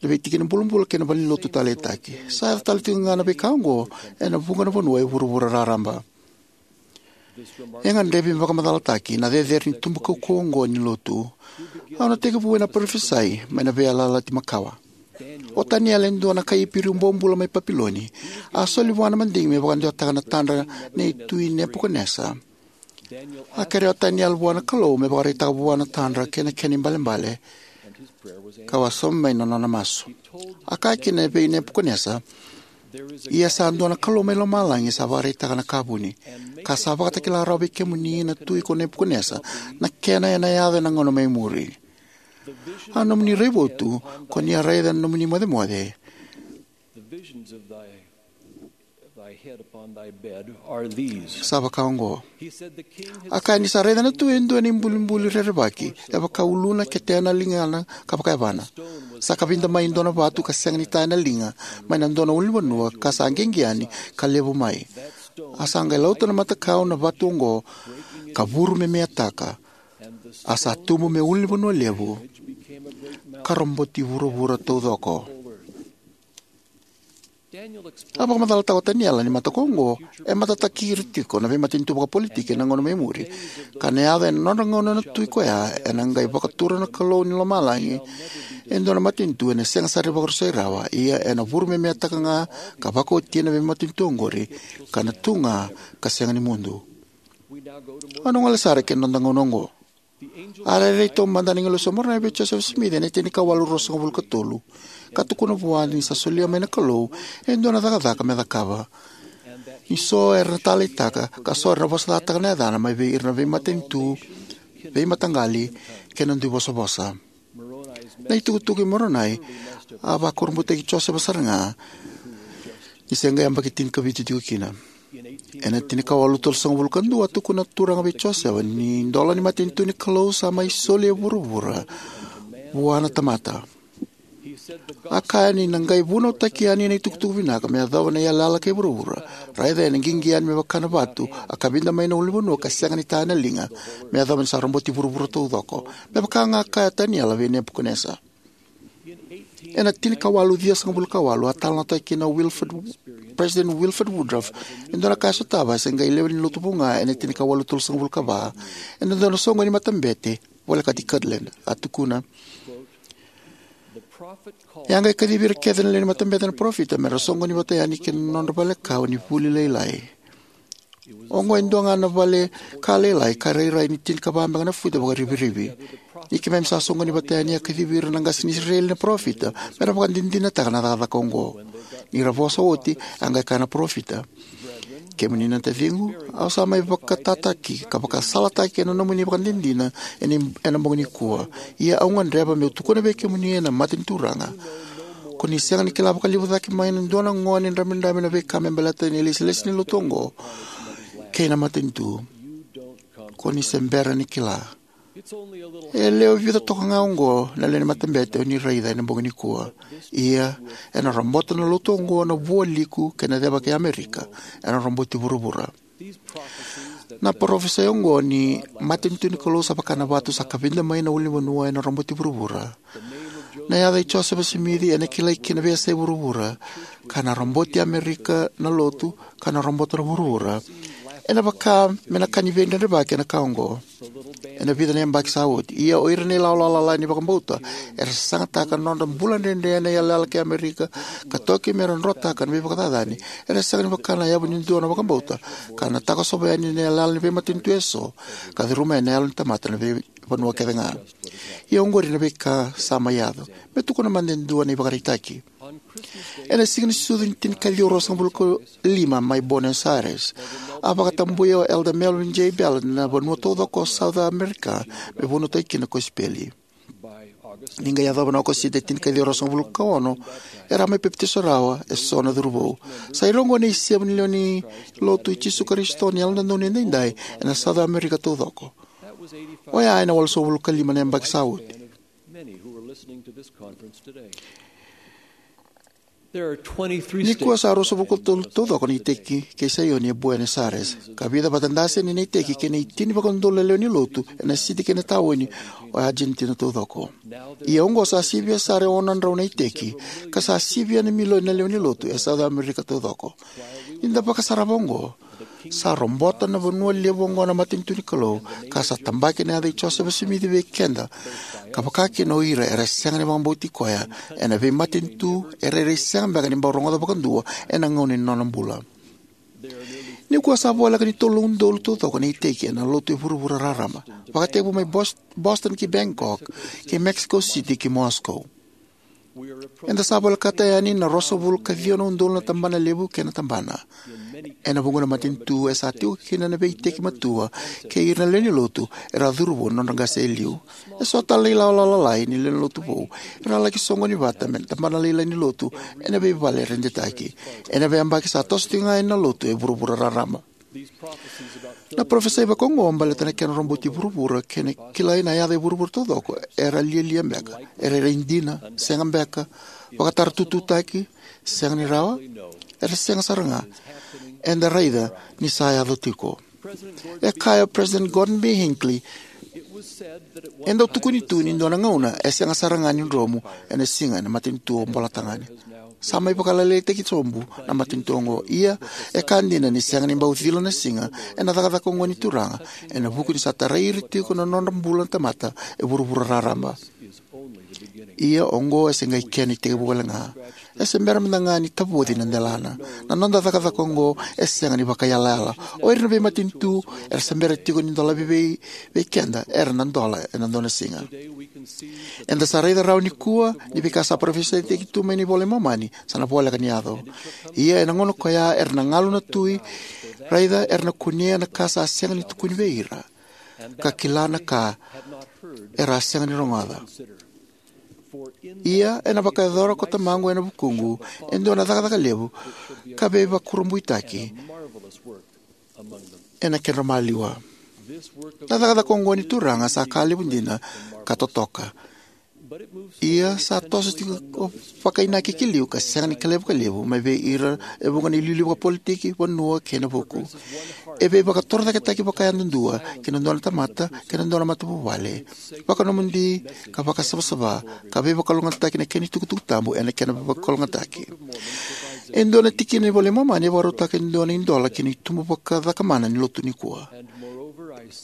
na veitikina bulabula kei na valenilotu taleitaki. Sa yaco tale tiko ga na veika oqo ena vuqa na vanua e vuravura raraba. E gadrevi me vakamacalataki na cecere ni tubu kaukauwa oqo ni lotu. Au na tekivu ena parofisai mai na Veiyalayalati Makawa. O Taniela, e dua na kai Iperiu bobula mai Papiloni, a soli vua na madigi me vakadewataka na tadra nei Tui Nepukanesa. A kerea o Taniela vua na Kalou me vakaraitaka vua na tadra kei na kena ibalebale, ka wasoma mai na nona masu. A kaya kina vei Nepukanesa, "Ia sa dua na Kalou mai lomalagi sa vakaraitaka na ka vuni, ka sa vakatakila rawa vei kemuni na tui ko Nepukanesa na kena ena yaco ena gauna mai muri. A nomuni raivotu ko ni a raica na nomuni mocemoce, sa vaka oqo." A kaya ni sa raica na tui e dua na ibulibuli rerevaki e vaka uluna, ketena, ligana ka vakayavana. Sa kavida mai e dua na vatu ka sega ni taya na liga mai na dua na ulunivanua ka sa qiqi yani ka levu mai. A sa qai lauta na matakau na vatu oqo ka vuru me meataka. A sa tubu me ulunivanua levu ka roboti vuravura taucoko. A vakamacalataka o Taniela ni mataka oqo e matataki ira tiko na veimatanitu vakapolitiki ena gauna mai muri, ka na yaco ena nodra gauna na tui koya ena qai vakatura na Kalou ni lomalagi e dua na matanitu ena sega sara ni vakarusai rawa, ia ena vuru me meataka ga ka vakaotia na veimatanitu oqori, ka na tu ga ka sega ni mudu. Au na gole sara ki na noda gauna oqo. A rairai taumada na agilosi o Moronai vei Josefa Simici ena tinikawalu ruasagavulu ka tolu, ka tukuna vua ni sa solia mai na Kalou e dua na cakacaka me cakava, ni so era na taleitaka ka so era na vosacataka na yacana mai vei ira na veimatanitu, veimataqali kei na dui vosavosa. Na itukutuku i Moronai a vakurabutaki Josefa sara ga, ni se qai yabaki tinikavitu tiko kina. Ena tinikawalu tolusagavulu ka dua, a tukuna na Turaga vei Josefa ni idola ni matanitu ni Kalou sa mai soli e vuravura vua na tamata. A kaya ni na qai vunautaki yani na itukutuku vinaka me yacova na iyalayala kei vuravura. Raica, ena qiqi yani me vaka na vatu a kavida mai na ulunivanua ka sega ni taya na liga, me yacova ni sa roboti vuravura taucoko, me vaka ga a kaya o Taniela vei Nepukanesa. Ena tinikawalu ciwasagavulu ka walu, a talanoataki kina o Wilford, President Wilford Woodruff, e dua na ka e sotava e se qai lewe ni lotu vou ga ena tinikawalu tolusagavulu ka va, ena dua na soqoni matabete volekati Kirtland. A tukuna, "E a qai kacivi ira kece na lewe ni matabete na parofita me ra soqoni vata yani ki na nodra valekawa ni vuli lailai. Oqo e dua ga na vale ka lailai ka rairai ni tinikava beka na futa vakarivirivi. Ni keimami sa soqoni vata yani, a kacivi ira na qase ni Isireli na parofita me ra vakadinadinataka na cakacaka oqo. Ni ra vosa oti, a qai kaya na parofita: Kemuni na taciqu, au sa mai vakatataki ka vakasalataki ena nomuni vakadinadina ena, ena bogi nikua. Ia au gadreva meu tukuna vei kemuni ena mata ni Turaga, ko ni sega ni kila vakalevu cake mai na dua na gone dramidrami na veika me baleta na ilesilesi ni lotu oqo kei na matanitu. Ko ni se bera ni kila. E lewe vica toka ga oqo na lewe ni matabete o ni raica ena bogi nikua. Ia, ena robota na lotu oqo na vualiku kei na ceva kei Amerika. Ena roboti vuravura. Na parofisai oqo ni matanitu ni Kalou sa vaka na vatu sa kavida mai na ulunivanua ena roboti vuravura. Na yaca i Josefa Simici ena kilai ki na veiyasai vuravura, ka na roboti Amerika na lotu, ka na robota na vuravura. Ena vaka me na ka ni veidredrevaki ena ka oqo ena vica na yabaki sa oti. Ia o ira na ilawalawa lalai ni vakabauta era sasagataka na nodra bula dredre ena iyalayala kei Amerika, ka toki me ra drotaka na veivakacacani, era sega ni vaka na yavu ni dua na vakabauta ka na takosova yani na iyalayala ni veimatanitu eso ka curuma yani na yalo ni tamata na veivanua kece ga. Ia oqori na veika sa mai yaco. Me tukuna mada e dua na ivakaraitaki. Ena siga ni sucu ni tinikaciwa ruasagavulu ka lima mai Buenos Aires, a vakatabuya o Elder Melvin J. Ballard na vanua taucoko o South America me vunautaki kina na kosipeli. Ni qai yacova na Okosita e tinikaciwa ruasagavulu ka ono, era a mai papitaiso rawa eso na curuvou. Sa ira oqo na isevu ni lewe ni Lotu i Jisu Karisito ni Yalododonu Edaidai ena South America taucoko. Oya ena walusagavulu ka lima na yabaki sa oti. Nikua sa ruasagavulu ka tolu taucoko na iteki kei Saioni e Buenos Aires, ka vica vata daseni na iteki kei na itini vakaudolu na lewe ni Lotu ena siti kei na taoni o Argentina taucoko. Ia oqo sa sivia sara e ono na drau na iteki, ka sa sivia na milioni na lewe ni Lotu e South America taucoko. Ni da vakasarava oqo, sa robota na vanua levu oqo na matanitu ni Kalou, ka sa tabaki na yaca i Josefa Simici vei keda, ka vakakina o ira era sega ni vakabauti koya ena veimatanitu e rairai sega beka ni bau rogoca vakadua ena gauna ni nona bula. Nikua sa voleka ni tolu na udolu taucoko na iteki ena lotu e vuravura raraba, vakatekivu mai Bos-, Boston ki Bangkok, ki Mexico City ki Moscow. Eda sa volekata yani na ruasagavulu ka ciwa na udolu na tabana levu kei na tabana. Ena vuqa na matanitu e sa tiko kina na veiteki matua kei ira na lewe ni Lotu era a curuvou na nodra qase e liu. Eso tale na ilawalawa lalai ni lewe ni Lotu vou era a laki soqoni vata me na tabana lailai ni Lotu ena veivale redetaki. Ena veiyabaki sa toso tiko ga yani na lotu e vuravura raraba. Na parofisai vakaoqo baleta na kena roboti vuravura kei na kilai na yaca e vuravura taucoko era lialia beka, era rairai dina, sega beka, vakatarutututaki, sega ni rawa, era sega sara ga. Eda raica ni sa yaco tiko. E kaya o President Gordon B. Hinckley, e dau tukuni tu ni dua na gauna e sega sara ga ni dromu ena siga ena matanitu o Bolatagane. Sa mai vakalailaitaki sobu na matanitu oqo. Ia, e ka dina ni sega ni bau cila na siga ena cakacaka oqo ni Turaga, ena vuku ni sa tarai ira tiko na nodra bula na tamata e vuravura raraba. Ia oqo e se qai kena itekivu wale ga. E se bera mada ga ni tavoci na delana. Na noda cakacaka oqo e sega ni vakaiyalayala. O ira na veimatanitu era se bera tiko ni dolavi vei, vei keda, era na dola ena dua na siga. Eda sa raica rawa nikua ni veika sa parofisaitaki tu mai na iVola i Momani sa na voleka ni yaco. Ia ena gauna koya era na galu na tui, raica era na kunea na ka sa sega ni tukuni vei ira, ka kila na ka era a sega ni rogoca. Ia ena vakayacora ko Tamaqu ena vukuqu e dua na cakacaka levu ka veivakurabuitaki ena kedra maliwa. Na cakacaka oqo ni Turaga sa ka levu dina ka totoka. Ia sa toso tiko vakainaki ki liu ka sega ni kilai vakalevu mai vei ira e vuqa na iliuliu vakapolitiki, vanua kei na vuku. E veivakatorocaketaki vakayadudua ki na dua na tamata kei na dua na matavuvale, vakanomodi ka vakasavasava, ka veivakalougatataki na kena itukutuku tabu ena kena veivakalougatataki. E dua na tikina ni iVola i Momani e vakarautaka e dua na idola ki na itubu vakacakamana ni lotu nikua.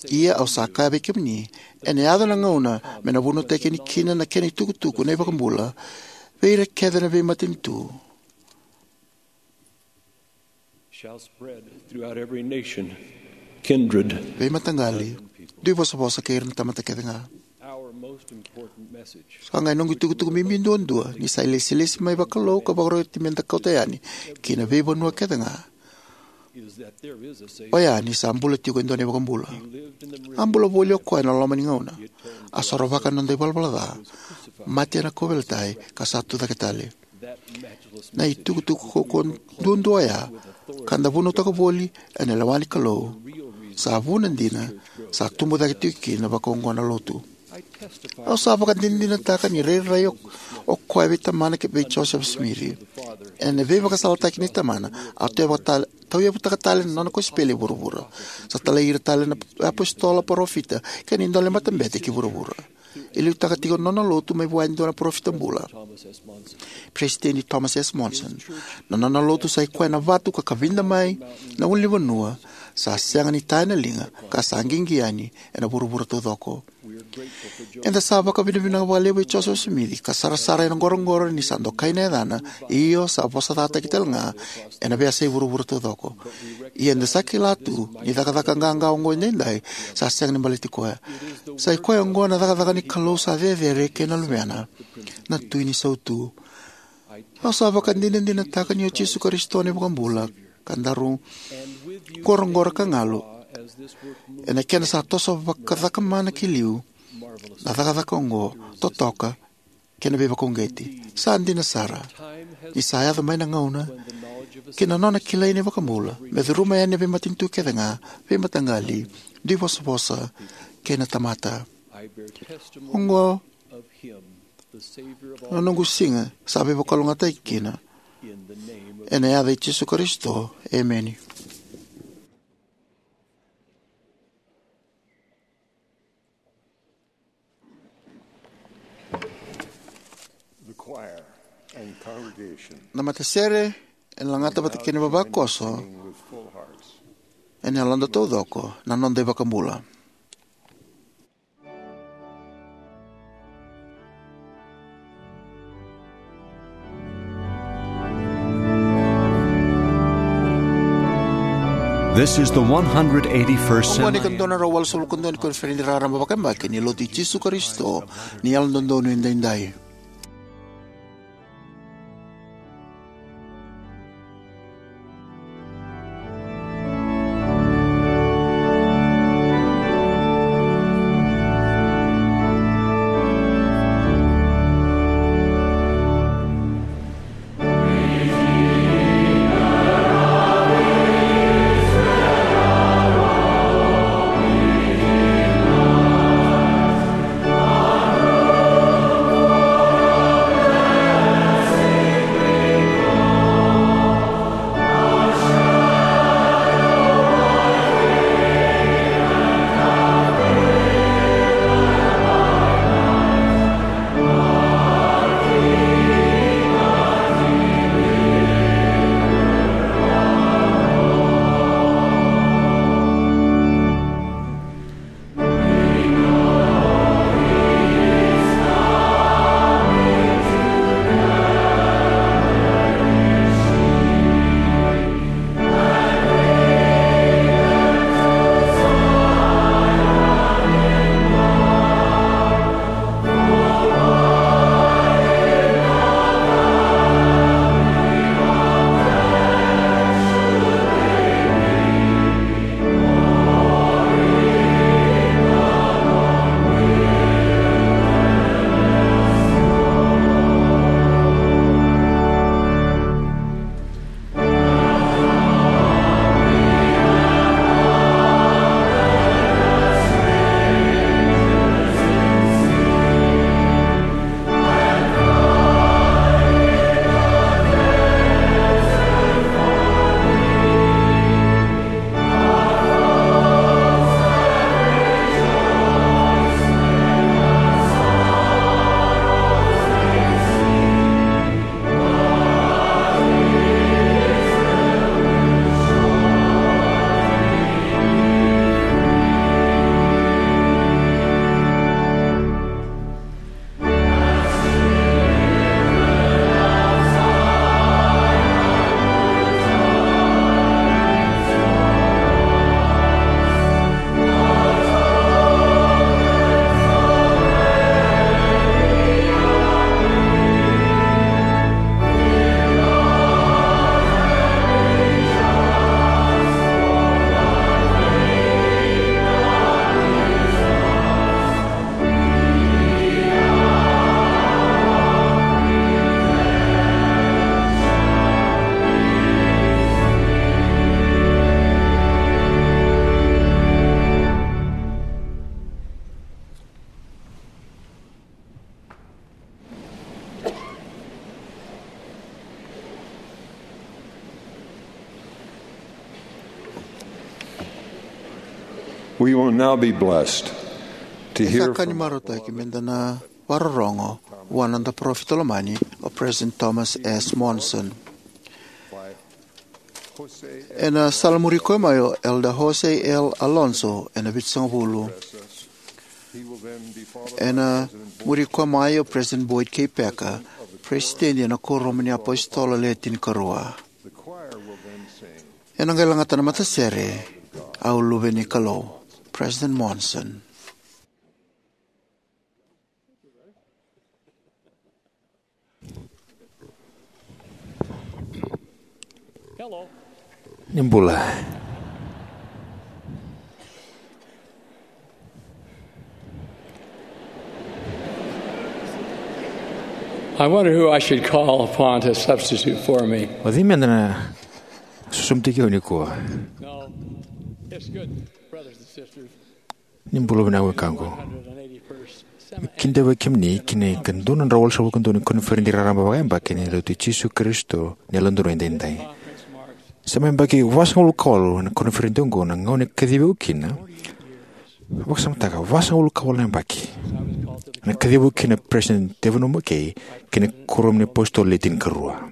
Ia au sa kaya vei kemuni, ena yaco na gauna me na vunautaki yani kina na kena itukutuku na iVakabula vei ira kece na veimatanitu. shall spread throughout every nation, kindred, veimataqali, duivosavosa kei ira na tamata kece ga. Our most important message. Sa qai noqu itukutuku bibi duadua ni sa ilesilesi mai vakalou ka vakaroti meda kauta yani ki na veivanua kece ga. Oya ni sa bula tiko e dua na iVakabula. A bula voli o koya ena loma ni gauna. A sorovaka na noda ivalavala ca, mate ena kauveilatai, ka sa tucake tale. Na itukutuku kaukaua duadua oya, ka da vunautaka voli ena lewa ni Kalou, sa vuna dina sa tubu cake tiko kina vakaoqo na lotu. Au sa vakadinadinataka ni rairai o, o koya vei Tamana kei vei Joseph Smith. Ena veivakasalataki nei Tamana, a tauyavutaka tale na nona kosipeli e vuravura. Sa talai ira tale na apositolo, parofita kei na dua na matabete ki vuravura. E liutaka tiko na nona lotu mai vua e dua na parofita bula, Peresitedi Thomas S. Monson. Na nona lotu sa i koya na vatu ka kavida mai na ulunivanua sa sega ni ta ena liga ka sa qiqi yani ena vuravura taucoko. Eda sa vakavinavinaka vakalevu vei Joseph Smith ka sarasara ena qoroqoro ni sa dokai na yacana, io sa vosacataki tale ga ena veiyasai vuravura taucoko. Ia eda sa kila tu ni cakacaka qaqa oqo edaidai sa sega ni baleti koya. Sa i koya oqo na cakacaka ni Kalou sa cecere kei na Luvena, na Tui ni Sautu. Au sa vakadinadinataka ni o Jisu Karisito na iVakabula ka daru qoroqoro ka galu ena kena sa toso vakacakamana ki liu na cakacaka oqo, totoka kei na veivakauqeti. Sa dina sara ni sa yaco mai na gauna ki na nona kilai na iVakabula me curuma yani na veimatanitu kece ga, veimataqali, duivosavosa kei na tamata. Oqo na noqu siga sa veivakalougatataki kina. Ena yaca i Jisu Karisito, emeni. The choir and congregation Na matasere ena lagata vata kei na vavakoso ena yaloda taucoko na noda iVakabula. This is the one hundred eighty-first Oqo na Semi. Ika dua na drau walusagavulu ka dua ni koniferedi raraba vakayabaki ni Lotu i Jisu Karisito ni Yalododonu Edaidai. We will now be blessed to E hear sa ka ni from marautaki me da na vakarorogo vua na noda parofita lomani, o President Thomas S. Monson. Ena sala muri koya mai o Elder Jose L. Alonso ena vitusagavulu. Ena muri koya mai o President Boyd K. Packer, President ena Kuoramu ni Apositolo Le Tinikarua. Ena qai lagata na matasere, Au Luve ni Kalou, President Monson. Ni bula. I wonder who I should call upon to substitute for me. O cei meda na susumutaki au nikua? No, it's good, brothers and sisters. Ni bula vinaka wekaqu. Kidavaki kemuni ki na ikadua na drau walusagavulu ka dua ni koniferedi raraba vakayabaki ni Lotu i Jisu Karisito ni Yalododonu Edaidai. Sa mai yabaki vasagavulu ka walu na koniferedi oqo na gauna e kacivi au kina. Vakasamataka, vasagavulu ka walu na yabaki. Na kacivi au kina President David O. McKay ki na Kuoramu ni Apositolo Le Tinikarua.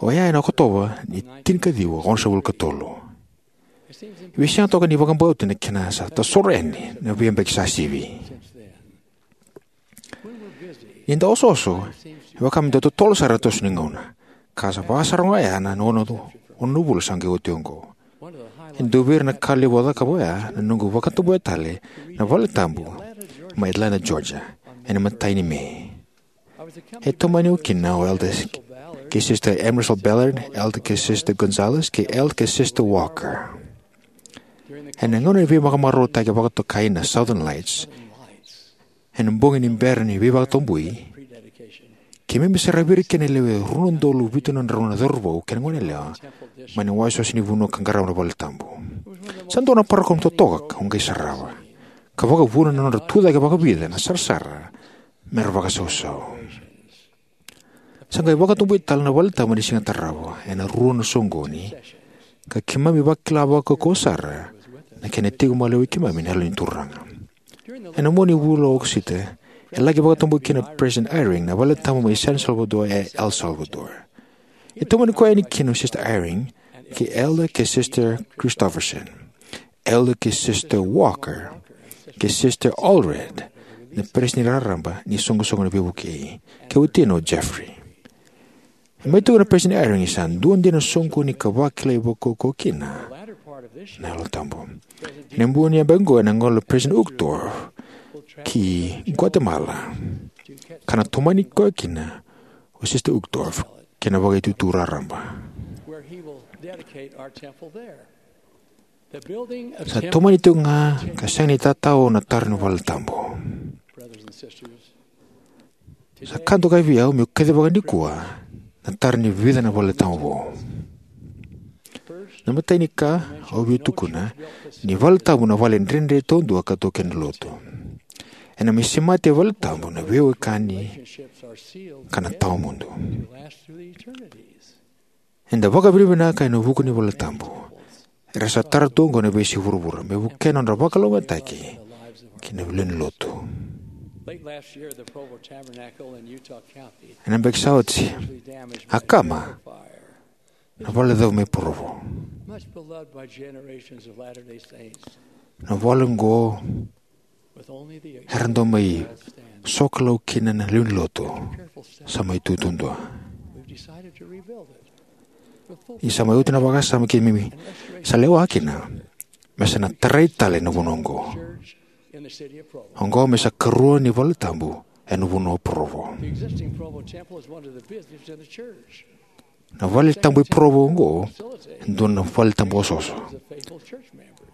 Oya ena Okotova ni tinikaciwa, onosagavulu ka tolu. Vei sega toka ni vakabauta na kena sa tasoro yani na veiyabaki sa sivi. Ni da osooso, e vaka me da totolo sara na toso ni gauna. Ka sa vakasara ga oya na ono, ono vula sa qai oti oqo. E dua vei ira na ka levu au cakava oya na noqu vakatabuya tale na valetabu mai Atlanta, Georgia, ena imatai ni Me. E tomani au kina o Elder kei Sister Emerson Ballard, Elder kei Sister Gonzalez, kei Elder kei Sister Walker. Ena gauna ni veivakamarautaki vakatokai na Southern Lights, ena bogi ni bera ni veivakatabui, keimami saravi ira kina e lewe rua na udolu vitu na drau na cauravou kei na goneyalewa mai na iwasewase ni vanua ka qarava na valetabu. Sa dua na parokaramu totoka au qai sarava, ka vakavuna na nodra tucake vakavica na sarasara mera vakasausau. Sa qai vakatabui tale na valetabu ena siga tarava ena rua na soqoni, ka keimami vakila vakaukauwa sara na kena tiko maliwai keimami na Yalo ni Turaga. Ena mua ni vula o Okosita, e laki vakatabui kina o President Eyring na valetabu mai San Salvador e El Salvador. E tomani koya yani kina o Sister Eyring kei Elder kei Sister Christofferson, Elder kei Sister Walker, kei Sister Allred, na peresitedi raraba ni soqosoqo na Veivukei, kei watina o Jeffrey. E mai tukuna o President Eyring ni sa dua dina na soqoni ka vakilai vakaukauwa kina na Yalo Tabu. Ena bogi ni yabaki oqo ena gole o President Uchtdorf ki Guatemala, ka na tomani koya kina o Sister Uchtdorf kei na vakaitutu raraba. Sa tomani tiko ga ka sega ni tatao na tara ni valetabu. Sa ka dokai vei au meu kacivaka nikua na tara ni vica na valetabu vou. Na imatai ni ka au via tukuna ni valetabu na vale dredre taudua ka tu kina na lotu. Ena mai semati e valetabu na veiwekani ka na tawamudu. Eda vakavinavinaka ena vuku ni valetabu era sa tara tu oqo ena veiyasai vuravura me vukea na nodra vakalougatataki ki na lewe ni lotu. Ena beki sa oti, a kama na vale cau mai Provo. Na vale oqo era dau mai sokalou kina na lewe ni lotu sa mai tu duadua. Ni sa mai oti na vakasama keimami sa lewa kina, me sa na tarai tale na vanua oqo. Oqo me sa karua ni valetabu ena vanua o Provo. Na valetabu i Provo oqo e dua na valetabu osooso.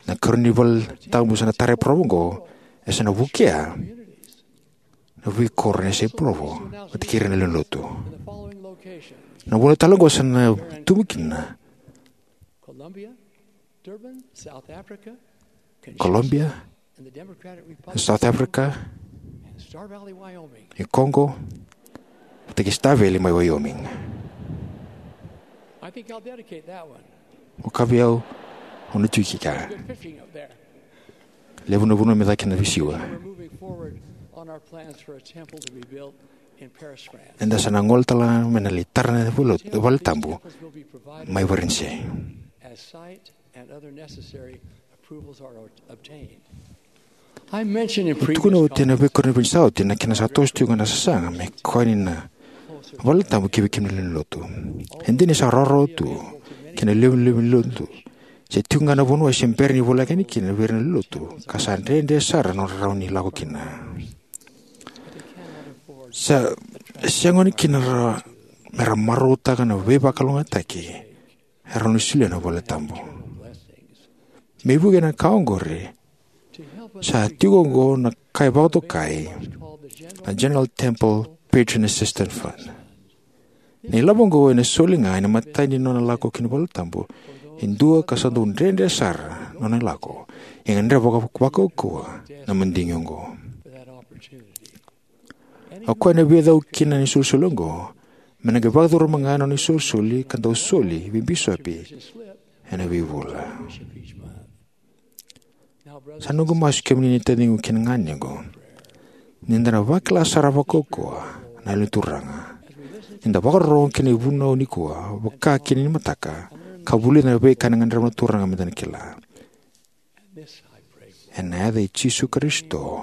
Na karua ni valetabu sa na tara e Provo oqo e sa na vukea na veikoro ena yasai Provo vata kei ira na lewe ni lotu. Na vuna tale oqo sa na tubu kina Colombia, South Africa, e Congo, vata kei Star Valley mai Wyoming. Vaka vei au, au na tiko i kea. Levu na vanua me caka kina veisiwa. We're moving forward on our plans for a temple to be built in Paris, France. Eda sa na gole tale ga me na lai tara na vale, vale tabu mai Varanise. As site and other necessary approvals are obtained. I mentioned in previous Tukuna oti ena comments veikoro ni veinisau oti na kena sa toso tiko ga na sasaga me koya ni na vale tabu ki vei kemuni na lewe ni lotu. E dina ni sa rawarawa tu kei na lewe ni lotu, se tiko ga na vanua se bera ni voleka yani kina vei ira na lewe ni lotu, ka sa dredre sara na nodra rawa ni lako kina. Sa sega ni kina ra, me ra marautaka na veivakalougatataki e rawa ni solia na vale tabu. Me vuke na ka oqori, sa tiko oqo na kai vakatokai na General Temple Patron Assistance Fund. Na ilavo oqo ena soli ga ena imatai ni nona lako ki na vale tabu e dua ka sa dau dredre sara na nona lako, e gadreva vaka, vakaukauwa na madigi oqo. O koya ena via cau kina na isolisoli oqo, me na qai vakacuruma ga na nona isolisoli ka dau soli vei bisopi ena veivula. Sa noqu masu kemuni na taciqu kei na ganequ, ni da na vakila sara vakaukauwa na Yalo ni Turaga ni da vakarorogo ki na ivunau nikua, vaka kina ni mataka, ka vulica na veika ena gadreva na Turaga me da na kila. Ena yaca i Jisu Karisito.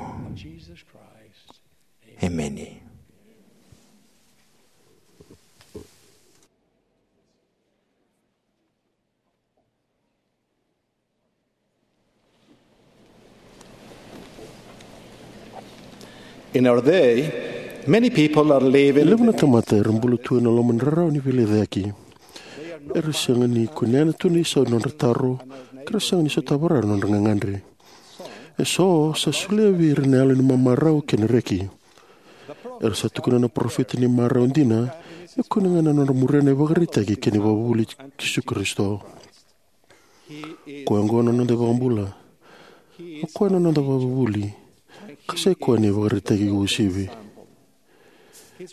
Emeni. In our day, many people are living E levu na tamata era bula tu ena loma ni rarawa ni veilecayaki. Era sega ni kunea tu na isau ni nodra taro, ka ra sega ni sotava rawa na nodra gagadre. Eso sa solia vei ira na yalo ni mamarau kei na reki. Era sa tukuna na parofita ni marau dina, me kune ga na nodra muria na ivakaraitaki kei na ivakavuvuli i Jisu Karisito. Koya oqo na noda iVakabula. O koya na noda ivakavuvuli. Ka sai koya na ivakaraitaki uasivi.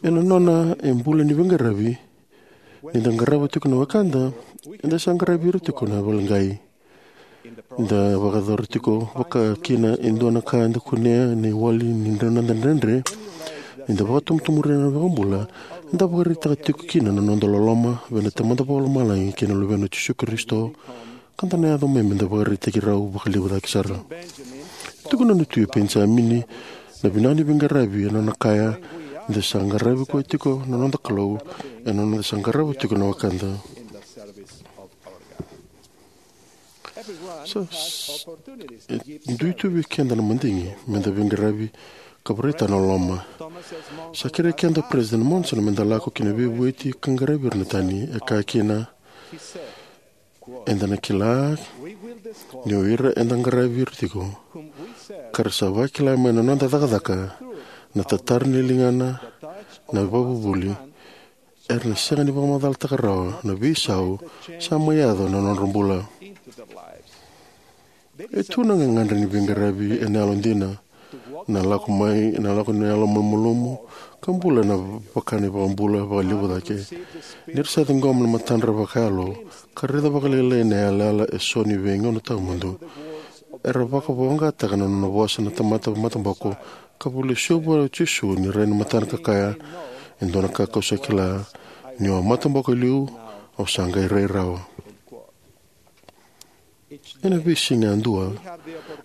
Ena nona e bula ni veiqaravi, ni da qarava tiko na wekada, eda sa qaravi ira tiko na vale qai. Da vakayacora tiko vaka kina e dua na ka eda kunea na iwali ni noda dredre. Ni da vakatomotomoria na iVakabula, eda vakaraitaka tiko kina na noda loloma vei na Tamada Vakalomalagi kei na Luvena o Jisu Karisito, ka da na yaco mai me da vakaraitaki rau vakalevu cake sara. Tukuna na Tui o Penijamini, na vinaka ni veiqaravi ena nona kaya, eda sa qaravi koya tiko na noda Kalou, ena noda sa qarava tiko na wekada. Sa, s-, e dui tu vei keda na madigi me da veiqaravi ka vakaraitaka na loloma. Sa kerei keda o President Monson me da lako ki na veivueti ka qaravi ira na tani. E kaya kina, eda na kila ni o ira eda qaravi ira tiko, ka ra sa vakila mai na noda cakacaka, na tatara ni ligana, na ivakavuvuli, era na sega ni vakamacalataka rawa na veisau sa mai yaco na nodra bula. E tu na gagadre ni veiqaravi ena yalodina, na lako mai, na lako ni yalo malumalumu, ka bula ena vaka na iVakabula vakalevu cake. Ni ra sa ciqoma na matadra vakayalo, ka raica vakalailai na yalayala eso ni veigauna tawamudu, era vakavoqataka na nona vosa na tamata mataboko, ka vakalusia vua o Jisu ni rai na matana ka kaya, e dua na ka kau sa kila, niu a mataboko e liu, au sa qai rai rawa. Ena veisiga yadua,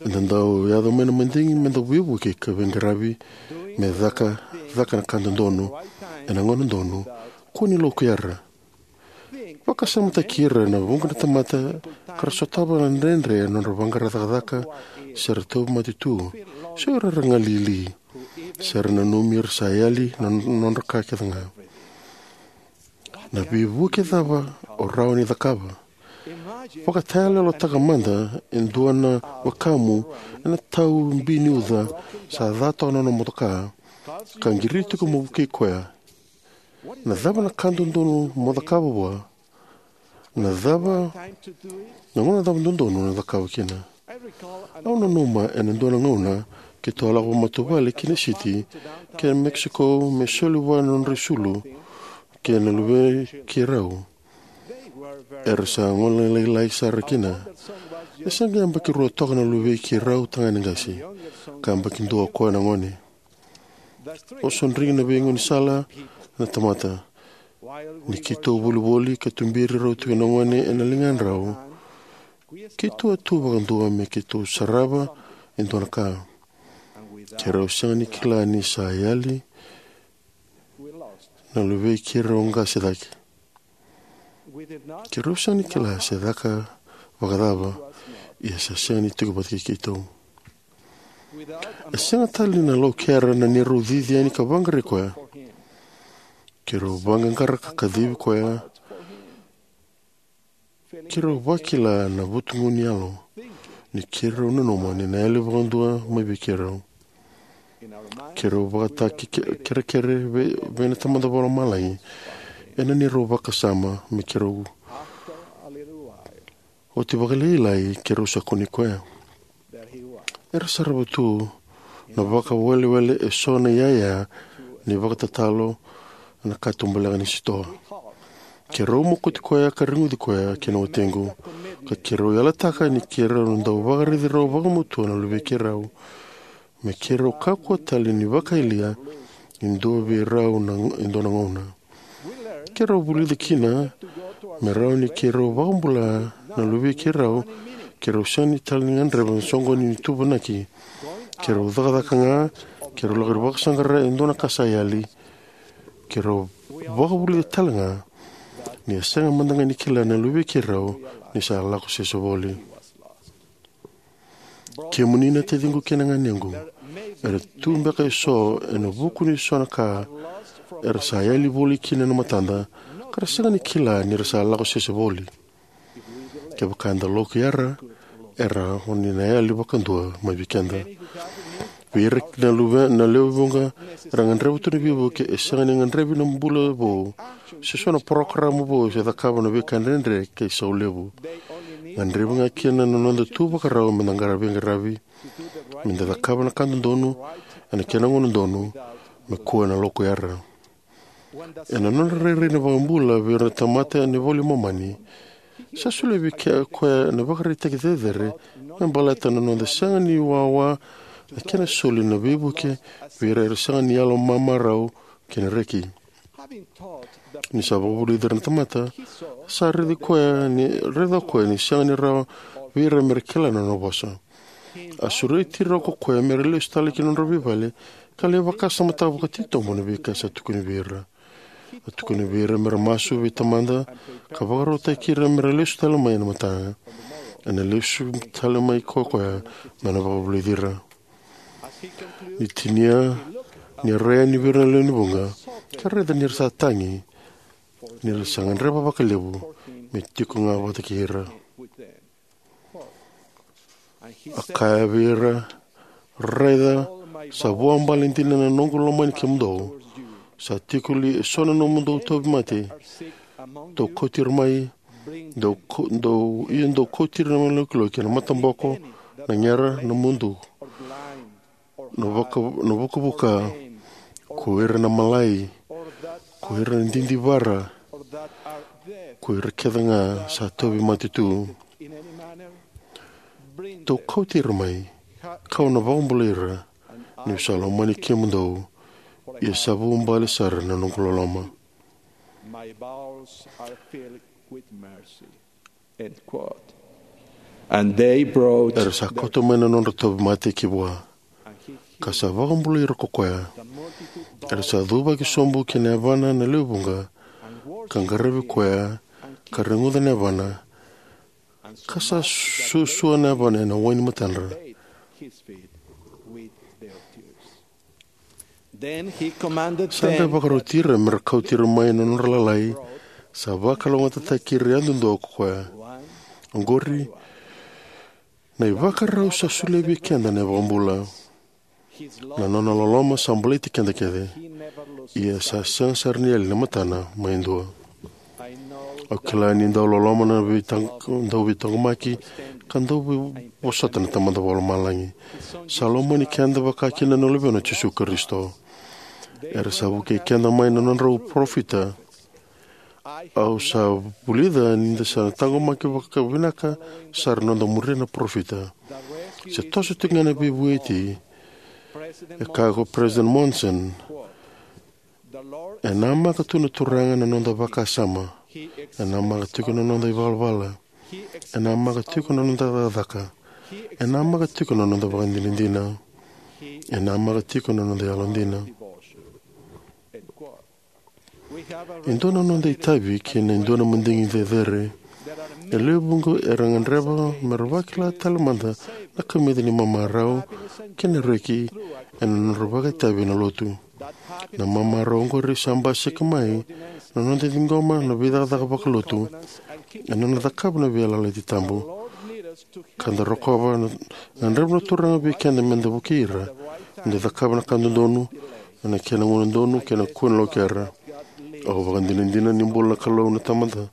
eda dau yaco mai na madigi me da veivuke ka veiqaravi, me caka, caka na ka dodonu, ena gauna donu, kua ni lokuyara. Vakasamataki ira na vuqa na tamata ka ra sotava na dredre ena nodra vaqara cakacaka, se ra tauvimate tu, se o ira era galili, se ra nanumi ira sa yali na nodra ka kece ga. Na veivuke cava o rawa ni cakava? Vakatayaloyalotaka mada e dua na wekamu ena tau bi ni uca sa ca toka na nona motoka, ka qiriti iko mo vukei koya. Na cava na ka dodonu mo cakava vua? Na cava, na gauna cava dodonu na cakava kina? Au nanuma ena dua na gauna keitou a lako vakamatavuvale ki na siti kei Mexico me soli vua na nodra isulu kei na luvei keirau. Era sa gole lailai sara kina. E sa qai yabaki rua toka na luvei keirau tagane qase, ka yabaki dua o koya na gone. O sa dredre na veigaunisala na tamata. Ni keitou volivoli ka tuberi rau tiko na gone ena ligadrau, keitou a tu vakadua me keitou sarava e dua na ka. Keirau sega ni kila ni sa yali na luvei keirau qase cake. Keirau sega ni kila se caka vakacava, ia sa sega ni tiko vata kei keitou. E sega tale ni na laukera na neirau cici yani ka vaqarai koya. Keirau vaqaqara ka kacivi koya. Keirau vakila na vutugu ni yalo ni keirau nanuma ni na yali vakadua mai vei keirau. Keirau vakataki ke- kerekere vei, vei na Tamada Vakalomalagi ena neirau vakasama me keirau. Oti vakalailai keirau sa kunei koya. Era sarava tu na vakawelewele eso na iyaya ni vakatatalo na katubaleka ni sitoa. Keirau mokoti koya ka reguci koya kei na watiqu, ka keirau yalataka ni keirau na dau vakaraici rau vakamatua na luvei keirau, me keirau kakua tale ni vakayalia e dua vei rau na e dua na gauna. Keirau vulica kina me rawa ni keirau vakabula na luvei keirau. Keirau sega ni tale ni gadreva na soqoni ni tuvanaki. Keirau cakacaka ga, keirau lako ni vakasaqara e dua na ka sa yali. Keirau vakavulica tale ga ni a sega mada ga ni kila na luvei keirau ni sa lako sese voli. Kemuni na taciqu kei na ganequ, era tu beka eso ena vuku ni so na ka era sa yali voli kina na matada, ka ra sega ni kila ni ra sa lako sese voli. Kevaka eda lako yara, era oni na yali vakadua mai vei keda. Vei ira na luve na lewe vuqa era gadreva tu na veivuke, e sega ni gadrevi na bula vou se so na parokaramu vou se cakava na veika dredre kei sau levu. Gadrevi ga kina na noda tu vakarau me da qaravi qaravi, me da cakava na ka dodonu ena kena gauna donu, me kua na lako yara. Ena nodra rairai na vakabula vei ira na tamata ena iVola i Momani, sa solia vei ke- koya na ivakaraitaki cecere me baleta na noda sega ni wawa na kena soli na veivuke vei ira era sega ni yalo mamarau kei na reki. Ni sa vakavulici ira na tamata, sa raici koya ni raica koya ni sega ni rawa vei ira me ra kila na nona vosa. A sureti ira ko koya me ra lesu tale ki na nodra veivale, ka lai vakasamataka vakatitobu na veika sa tukuni vei ira. A tukuni vei ira me ra masu vei Tamada ka vakarautaki ira me ra lesu tale mai ena mataka. Ena lesu tale mai ko koya me na vakavulici ira. Ni tinia, ni a rai yani vei ira na lewe ni vuqa, ka raica ni ra sa tagi, ni ra sa gadreva vakalevu me tiko ga vata kei ira. A kaya vei ira, raica, sa vuabale dina na noqu lomani kemudou. Sa tiko li eso na nomudou tauvimate? Dou kauti ira mai, dou, dou, ia dou kauti ira mai lokiloki, na mataboko, na gera, na mudu, na vaka, na vukavuka, ko ira na malai, ko ira na didivara, ko ira kece ga sa tauvimate tu. Dou kauti ira mai, kau na vakabulai ira, niu sa lomani kemudou, ia sa vuabale sara na noqu loloma. My bowels are filled with mercy. End quote. And they brought. Era sa kauta mai na nodra tauvimate ki vua, ka sa vakabulai ira ko koya. Era sa cuvaki sobu ki na yavana na lewe vuqa, ka qaravi koya, ka reguca na yavana, ka sa suasua na yavana ena waini matadra. Then he commanded. Sa qai them vakaroti ira me ra kauti ira mai na nodra lalai, sa vakalougatataki ira yadudua ko koya. Oqori, na ivakarau sa solia vei keda na iVakabula. Na nona loloma sa baleti keda kece, ia sa sega sara ni yali na matana mai dua. Au kila ni dau loloma na veitaq-, dau veitaqomaki ka dau vei-, vosota na Tamada Vakalomalagi. Sa lomani keda vakakina na Luvena o Jisu Karisito. Era sa vukei keda mai na nodrau parofita. Au sa vulica ni da sa na taqomaki vakavinaka sara na noda muria na parofita. Se toso tiko ga na veivueti, e kaya ko President Monson, e namaka tu na Turaga na noda vakasama, e namaka tiko na noda ivalavala, e namaka tiko na noda cakacaka, e namaka tiko na noda vakadinadina, e namaka tiko na noda yalodina. E dua na noda itavi kei na dua na madigi cecere. E lewe vuqa era gadreva me ra vakila tale mada na kamica ni mamarau kei na reki ena nodra vakaitavi ena lotu. Na mamarau oqori sa basika mai na noda ciqoma na veicakacaka vakalotu ena nona cakava na veiyalayalati tabu. Ka da rokova na gadreva na Turaga vei keda me da vukei ira me da cakava na ka dodonu ena kena gauna donu kei na kua ni lokera. Au vakadinadina ni bula na Kalou na Tamada.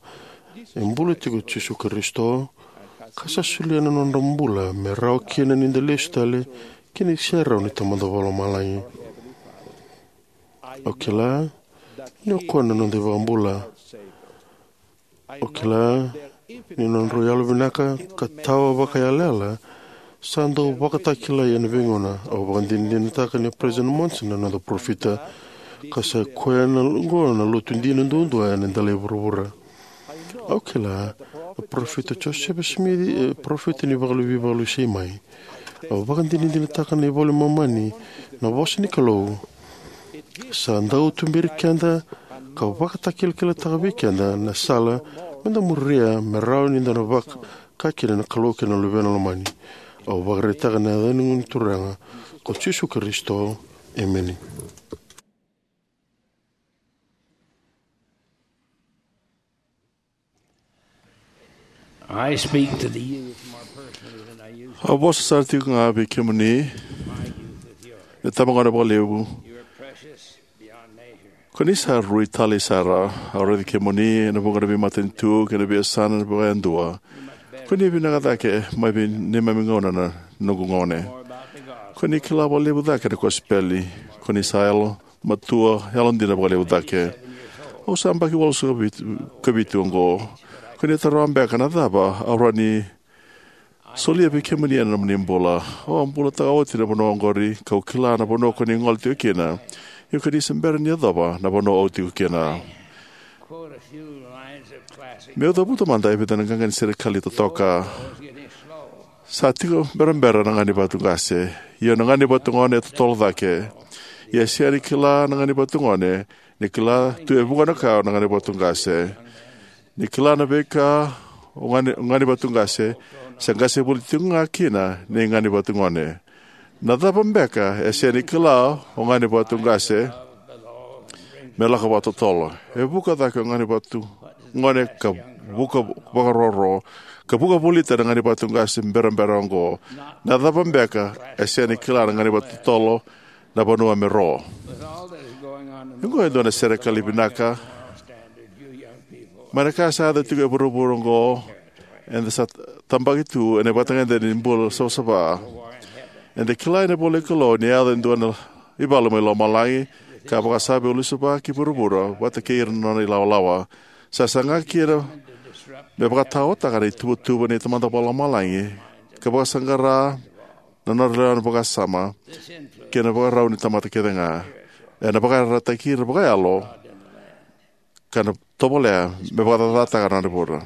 E bula tiko Jisu Karisito, ka sa solia na nodra bula me rawa kina ni da lesu tale ki na iserau ni Tamada Vakalomalagi. Au kila ni o koya na noda iVakabula. Au kila ni nodrau yalovinaka ka tawa vakayalayala sa dau vakatakilai ena veigauna. Au vakadinadinataka ni President Monson na noda parofita, ka sa koya na oqo na lotu dina duadua ena dela i vuravura. Au kila na parofita Josefa Simici e parofita ni vakalu- veivakalesui mai. Au vakadinadinataka na iVola i Momani, na vosa ni Kalou, sa dau tuberi keda ka vakatakilakilataka vei keda na sala me da muria me rawa ni da na vaka kina na Kalou kei na Luvena Lomani. Au vakaraitaka na yaca ni Turaga ko Jisu Karisito. Emeni. I speak to the youth more personally than I used to. Au vosa sara tiko ga vei kemuni, na tabagone vakalevu. You are precious beyond measure. Ko ni sa rui tale sara. Au raici kemuni ena vuqa na veimatanitu kei na veiyasana vakayadua. Ko ni vinaka cake mai vei neimami gauna na noqu gone. More about the gospel. Ko ni kila vakalevu cake na kosipeli. Ko ni sa yalo matua, yalodina vakalevu cake. Au sa yabaki walusagavulu ka vitu oqo. Ko ni taroga beka na cava au rawa ni solia vei kemuni ena nomuni bula. Au a bulataka oti na vanua oqori, kau kila na vanua ko ni gole tiko kina. Ia ko ni se bera ni yacova na vanua au tiko kina. Quote a few lines of classic. Meu cavuta mada e vica na qaqa ni serekali totoka. Sa tiko berabera na ga ni vatu qase. Ia na ga ni vatu gone e totolo cake. Ia e sega ni kila na ga ni vatu gone, ni kila tu e vuqa na ka na ga ni vatu qase. Ni kila na veika o ga ni, ga ni vatu qase, se qase voli tiko ga kina ni ga ni vatu gone. Na cava beka e sega ni kila o ga ni vatu qase me lako vakatotolo? E vuka cake o ga ni vatu gone ka vuka vakaroro, ka vuka volita na ga ni vatu qase berabera oqo. Na cava beka e sega ni kila na ga ni vatu totolo na vanua me ro? Oqo e dua na serekali vinaka. Mai na ka sa yaco tiko e vuravura oqo, eda sa tabaki tu ena vatagade ni bula savasava. Eda kila ena ivola ni Kalou ni yaco e dua na ivalu mai lomalagi, ka vakasava e lusuva ki vuravura vata kei ira na nona ilawalawa. Sa saga kina me vakataotaka na ituvatuva ni Tamada Vakalomalagi, ka vakasaqara na nodra lewa ni vakasama kei na vakarau ni tamata kece ga. Ena vakayarayarataki ira vakayalo ka na tovolea me vakacacataka na nodra bula.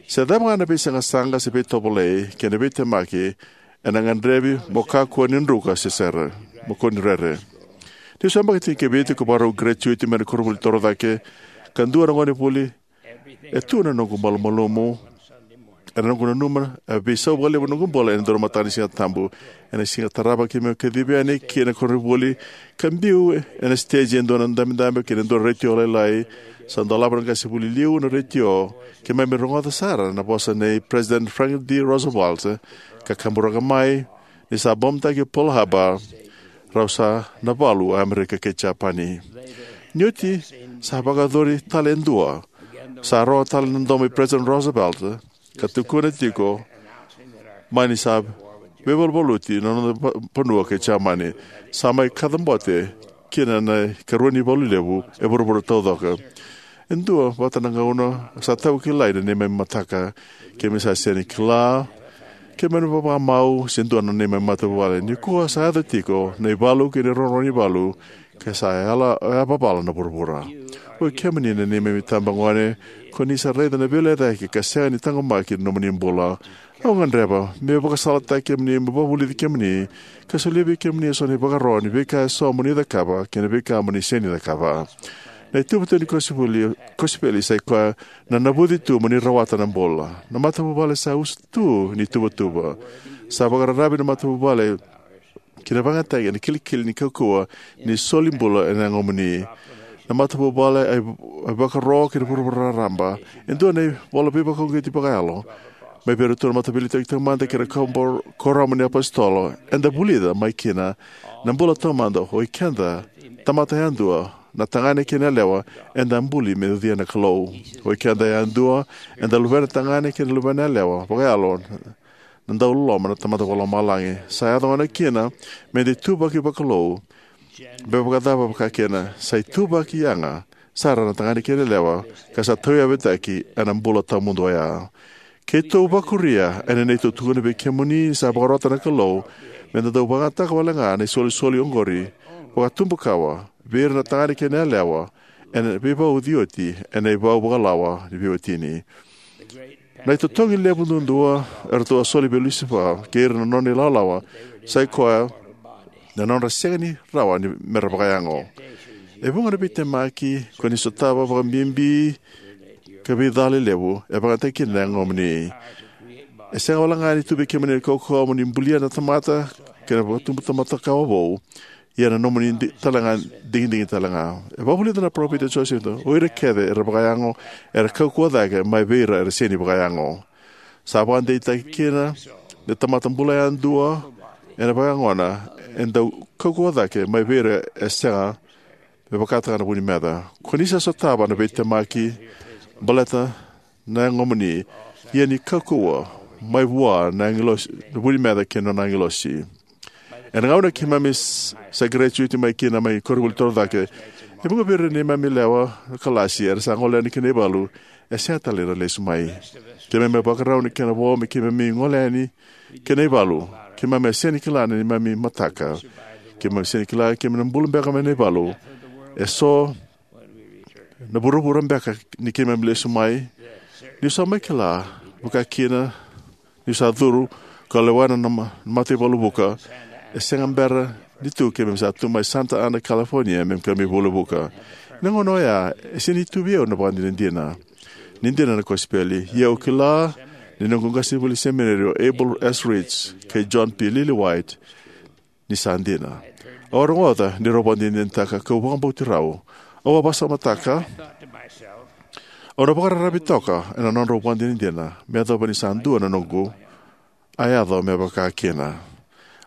Se cava ga na veisaqasaqa se veitovolei kei na veitemaki, ena gadrevi mo kakua ni druka se sere, mo kua ni rere. Niu se yabaki tinikavitu ka vakarau gratuiti mai na koronivuli torocake, ka dua na gonevuli, e tu na noqu malumalumu. Ena noqu nanuma, e veisau vakalevu na noqu bula ena dua na mataka ni Siga Tabu. Ena siga tarava keimami kacivi yani ki na koronivuli, ka biu ena stage e dua na dabedabe kei na dua na retio lailai. Sa dolava na qase vuli liu na retio, keimami rogoca sara na vosa nei President Franklin D Roosevelt, ka kaburaka mai ni sa bombitaki Pearl Harbor, rau sa na valu Amerika kei Japani. Ni oti, sa vakayacori tale e dua. Sa rogo tale na domo i President Roosevelt, ka tukuna tiko mai ni sa veivaluvaluti na noda va-, vanua kei Jamani. Sa mai kacabote kina na ikarua ni valu levu e vuravura taucoko. E dua vata na gauna sa tau kilai na neimami mataka. Keimami sa sega ni kila keimami vakamau se dua na neimami matavuvale. Nikua sa yaco tiko na ivalu kei na rorogo ni valu, ka sa yala yavavala na vuravura. Oi kemuni na neimami tabagone, ko ni sa raica na veilecayaki ka sega ni taqomaki na nomuni bula. Au gadreva meu vakasalataki kemuni, meu vakavulici kemuni, ka solia vei kemuni eso na ivakaro ni veika eso mo ni cakava kei na veika mo ni sega ni cakava. Na ituvatuva ni kosipeli, kosipeli sa i koya na navuci tu mo ni rawata na bula. Na matavuvale sa usu tu ni tuvatuva. Sa vakararavi na matavuvale ki na vakayagataki ena kilikili ni kaukauwa ni soli bula ena yagomuni. Na matavuvale, a ivakaro kei na vuravura raraba. E dua na ivola veivakauqeti vakayalo mai vei iratou na Mataveiliutaki Taumada kei na Kuoramu ni iApositolo. Eda vulica mai kina na bula taumada, o ikeda tamata yadua, na tagane kei na yalewa, eda a buli me ucuya na Kalou. O ikeda yadua, eda luvena tagane kei na luvena yalewa vakayalo na dauloloma na Tamada Vakalomalagi. Sa yaco gona kina me da ituvaki vakalou. Me vakacava vakakina? Sa ituvaki yaga sara na tagane kei na yalewa, ka sa tauyavutaki ena bula tawamudu oya. Keitou vakuria ena neitou tukuna vei kemuni ni sa vakarota na Kalou me da dau vakayagataka wale ga na isolisoli oqori vakatubukawa vei ira na tagane kei na yalewa ena veivauci oti ena ivau vakalawa ni veiwatini. Na itotogi levu duadua eratou a soli vei Lusifa kei ira na nona ilawalawa sa i koya na nodra sega ni rawa ni mera vakayago. E vuqa na veitemaki ko ni sotava vakabibi ka veicala levu e vakayagataki kina na yagomuni. E sega wale ga ni tu vei kemuni na kaukauwa mo ni bulia na tamata kei na vakatubu tamata kawa vou, ia na nomuni di-, talega digidigi talega. E vakavulica na parofita Josefa, o ira kece era vakayago era kaukauwa cake mai vei ira era sega ni vakayago. Sa vakadeitaki kina na tamata bula yadua ena vakayagona e dau kaukauwa cake mai vei ira e sega me vakataka na vu ni meca. Ko ni sa sotava na veitemaki baleta na yagomuni, ia ni kaukauwa mai vua na agilosi, na vu ni meca kei na nona agilosi. Ena gauna keimami s-, sa graduate mai kina mai koronivuli torocake, e vuqa vei ira na neimami lewe ni kalasi era sa gole yani ki na ivalu, e sega tale ni ra lesu mai. Keimami a vakarau na kena vo me keimami gole yani ki na ivalu. Keimami a sega ni kila na neimami mataka. Keimami sega ni kila keimami na bula beka mai na ivalu. E so na vuravura beka ni keimami lesu mai. Niu sa mai kila vakakina, niu sa curu ka lewena na ma-, mataivalu vuka, e sega bera ni tu keimami sa tu mai Santa Ana, California, me keimami vuli vuka. Na gauna oya, e sega ni tu vei au na vakadinadina ni dina na kosipeli. Ia au kila ni noqu qasenivuli semineri o Abel S. Rich kei John P. Lillywhite ni sa dina. Au a rogoca ni rau vakadinadinataka kau vakabauti rau. Au a vakasamataka, au na vakararavi toka ena nodrau vakadinadina me yacova ni sa dua na noqu a yaco me vaka kina.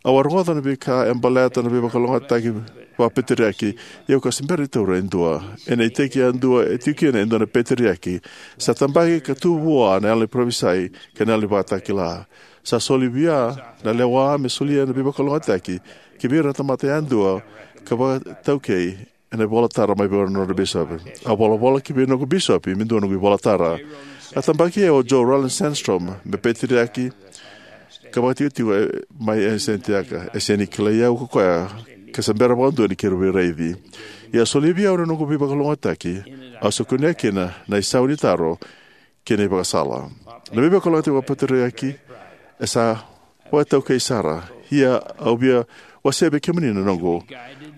Au a rogoca na veika e baleta na veivakalougatataki vakapeteriaki, ia au ka se bera ni taura e dua. Ena iteki yadua e tiko kina e dua na peteriaki sa tabaki ka tu vua na yalo ni parofisai kei na yalo ni vakatakila. Sa soli vei au na lewa me solia na veivakalougatataki ki vei ira na tamata yadua ka vakataukei ena ivola tara mai vei ira na nodra bisopi. A volavola ki vei noqu bisopi me dua noqu ivola tara. A tabaki au o Joe Roland Sandstrom me peteriaki ka vakatikotiko e, mai e Santiago. E sega ni kilai au ko koya ka sa bera vakadua ni keirau veiraici. Ia a solia vei au na noqu veivakalougatataki, au sa kunea kina na isau ni taro kei na ivakasala. Na veivakalougatataki vakapeteriaki e sa vakataukei sara. Ia au via wasea vei kemuni na noqu.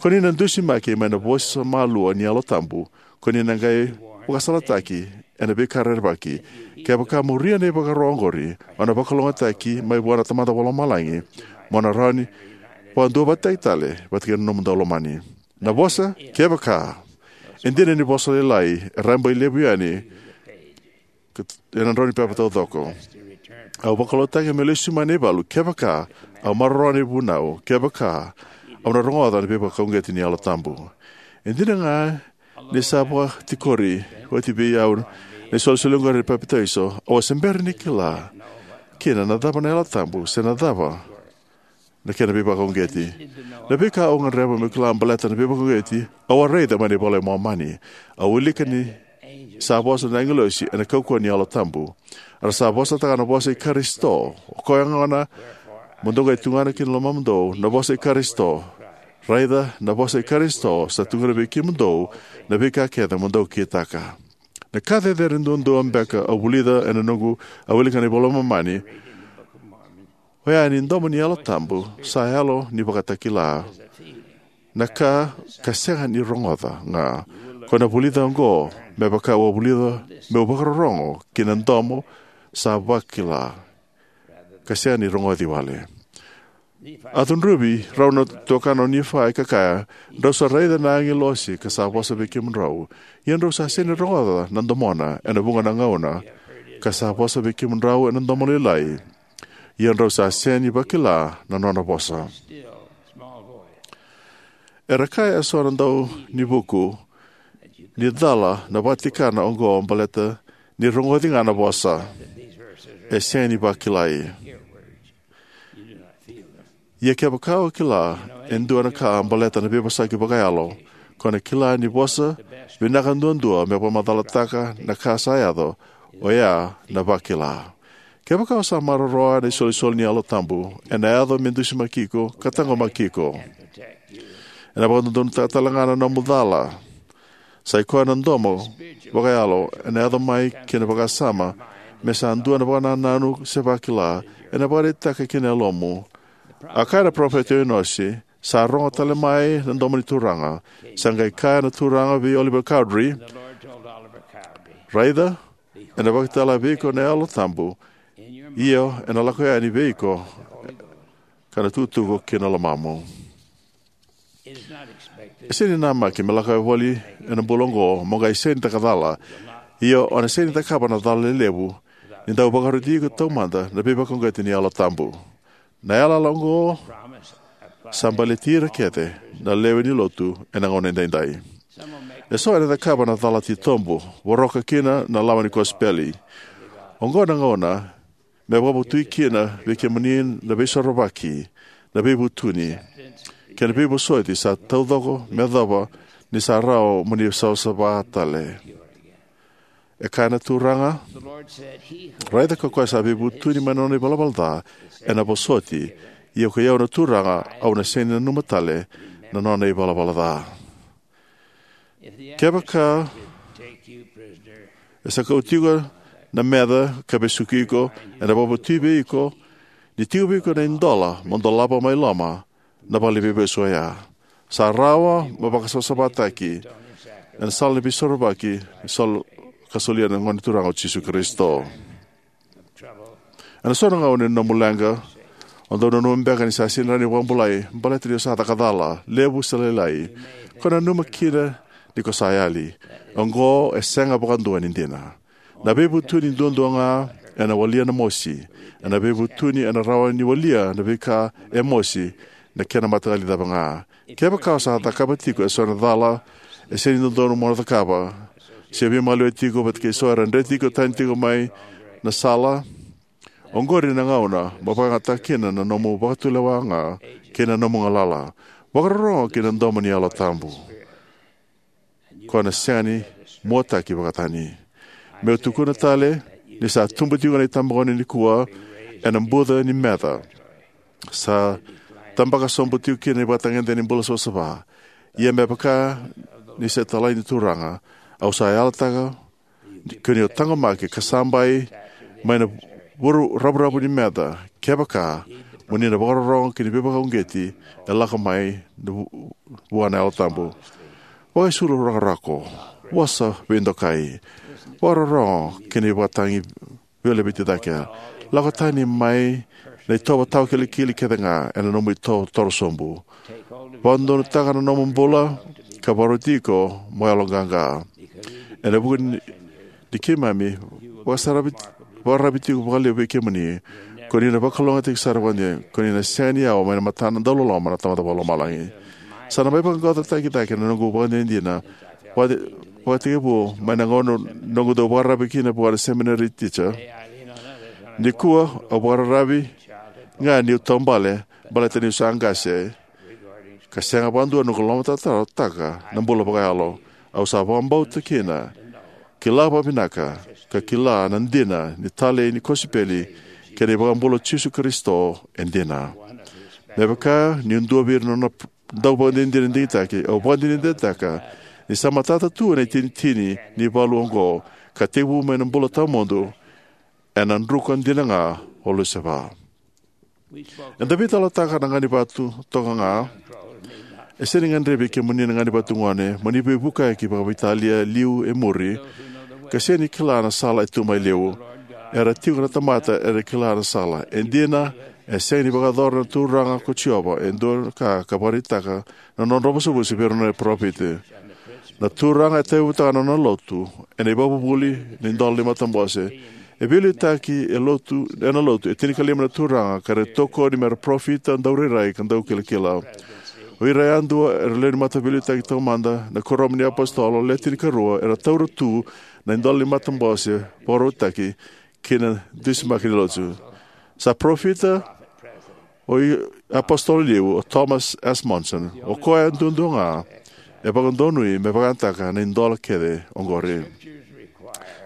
Ko ni na dusimaki mai na vosa malua ni Yalo Tabu. Ko ni na qai vakasalataki ena veika rerevaki. Kevaka mo muria na ivakaro oqori, o na vakalougatataki mai vua na Tamada Vakalomalagi, mo na rawa ni vakaduavatataki tale vata kei na nomu daulomani. Na vosa kevaka e dina ni vosa lailai, e rabailevu yani ena drau ni pepa taucoko. Au vakalougatataki meu lesu mai na ivalu kevaka au maroroya na ivunau, kevaka au na rogoca na veivakauqeti ni Yalo Tabu. E dina ga ni sa vakatikori oti vei au na isolisoli oqori ni papitaiso, au a se bera ni kila kina na cava na Yalo Tabu se na cava na kena veivakauqeti. Na veika au gadreva meu kila baleta na veivakauqeti au a raica mai na iVola i Momani. Au wilika ni Sa vosa na agilosi ena kaukauwa ni Yalo Tabu. Era sa vosataka na vosa i Karisito. O koya gona, mo dou qai tugana ki na lomamudou na vosa i Karisito. Raica na vosa i Karisito sa tukuna vei kemudou na veika kece mo dou kitaka. Na ka cecere duadua beka au vulica ena noqu a wilika na iVola i Momani, oya ni domo ni Yalo Tabu sa yalo ni vakatakila. Na ka ka sega ni rogoca ga, ko na vulica oqo me vaka au a vulica meu vakarorogo ki na domo sa vakila, ka sega ni rogoci wale. A cudruvi rau na tuakana o Nifai ka kaya, drau sa raica na agilosi ka sa vosa vei kemudrau. Ia drau sa sega ni rogoca na domona ena vuqa na gauna, ka sa vosa vei kemudrau ena domo lailai. Ia drau sa sega ni vakila na nona vosa. Era kaya eso na dau ni vuku ni cala na vakatikana oqo baleta ni rogoci ga na vosa, e sega ni vakilai. Ia kevaka o kila e dua na ka baleta na veivosaki vakayalo, ko na kila ni vosa vinaka duadua me vakamacalataka na ka sa yaco, oya na vakila. Kevaka o sa maroroya na isolisoli ni Yalo Tabu, ena yaco me dusimaki iko ka taqomaki iko. Ena vakadodonutaka tale ga na nomu cala. Sai koya na domo vakayalo ena yaco mai kina vakasama me sa dua na vakanananu se vakila, ena vakaraitaka kina yalomu. A kaya na parofita o Inosi, sa rogo tale mai na domo ni Turaga. Sa qai kaya na Turaga vei Oliver Cowdery, raica, ena vakitala vei iko na Yalo Tabu, io, ena lako yani vei iko ka na tukutuku ki na lomamu. E sega ni namaki me lako voli ena bula oqo mo qai sega ni cakacala. Ia o na sega ni cakava na cala lelevu ni dau vakaroti iko taumada na veivakauqeti ni Yalo Tabu. Na yalayala oqo sa baleti ira kece na lewe ni lotu ena gauna edaidai. Eso era cakava na cala titobu, voroka kina na lawa ni kosipeli. Oqo na gauna me vakavotui kina vei kemuni na veisorovaki, na veivutuni, kei na veivosoti sa taucoko me yacova ni sa rawa mo ni savasava tale. E kaya na Turaga, raica ko koya sa veivutuni mai na nona ivalavala ca ena vosoti, ia ko i au na Turaga, au na sega ni nanuma tale na nona ivalavala ca. Kevaka e sa kauti iko na meca ka vesuki iko, ena vakavotui vei iko ni tiko vei iko na idola mo dolava mai loma na valeniveivesu oya. Sa rawa mo vakasavasavataki ena sala ni veisorovaki, sal-, ka solia na Gone Turaga o Jisu Karisito. Ena so na gauna ni nomu leqa, o dau nanuma beka ni sa sega ni rawa ni vakabulai baleta ni o sa caka cala, levu se lailai. Ko nanuma kina ni ko sa yali. Oqo e sega vakadua ni dina. Na veivutuni duadua ga ena walia na mosi. Ena veivutuni ena rawa ni walia na veika e mosi, na kena mataqali cava ga. Kevaka o sa cakava tiko eso na cala e sega ni dodonu mo na cakava, se veimaliwai tiko vata kei so era dreti iko tani tiko mai na sala, oqori na gauna mo vakayagataka kina na nomu vakatulewa ga kei na nomu galala. Vakarorogo ki na domo ni Yalo Tabu, ko na sega ni muataki vakatani. Meu tukuna tale ni sa tubu tiko na itabagone nikua ena buca ni meca. Sa tabaka sobu tiko kina na ivakatagedegede ni bula savasava. Ia me vaka ni sa talai ni Turaga, au sa yalataka ko ni o taqomaki ka sabai mai na vuru ravuravu ni meca, kevaka mo ni na vakarorogo ki na veivakauqeti e lako mai na vu-, vua na Yalo Tabu. Vakaisulu rakorako, vosa veidokai, vakarorogo ki na ivakatagi veilaveti cake. Lako tani mai na itovo tawakilikili kece ga ena nomu itovo toro sobu. Vakadodonutaka na nomu bula ka vakaroti iko mo yaloqaqa. Ena vuku ni, ni keimami vakasaravi, vakararavi tiko vakalevu vei kemuni, ko ni na vakalougatataki sara vakadina, ko ni na sega ni yawa mai na matana dauloloma na Tamada Vakalomalagi. Sa na mai vaqaqacotaki cake na noqu vakadinadina vakatekivu mai na gauna noqu dau vakararavi kina vua na seminary teacher. Nikua au vakararavi ga niu taubale baleta niu sa qase, ka sega vakadua noqu lomatarotaka na bula vakayalo. Au sa vakabauta kina kila vakavinaka, ka kila na dina ni talei ni kosipeli kei na iVakabula o Jisu Karisito e dina. Me vaka niu dua vei ira na nona dauvakadinadina digitaki, au vakadinadinataka ni sa matata tu ena itinitini ni valu oqo ka tekivu mai na bula tawamudu ena druka dina ga o Lusefa. Eda veitalanoataka na ganivatu toka ga. E sega ni gadrevi kemuni na ganivatu gone mo ni veivukiyaki vakaveitalia liu e muri, ka sega ni kila na sala e tu mai liu. Era tiko na tamata era kila na sala. E dina, e sega ni vakayacora na Turaga ko Jiova e dua na ka ka vakaraitaka na nodra vosa vei ira na parofita. Na Turaga e tauyavutaka na nona lotu ena ivakavuvuli ni idola ni matabose. E veiliutaki e lotu, ena lotu e tinikalima na turaga ka ra tokoni me ra parofita, daurairai ka daukilakila. O ira yadua era lewe ni mataveiliutaki taumada, na kuoramu ni apositolo, le tinikarua, era taura tu na idola ni matabose vakarautaki ki na dusimaki ni lotu. Sa parofita o i-, apositolo liu o Thomas S. Monson. O koya duadua ga e vakadonui me vakayagataka na idola kece oqori.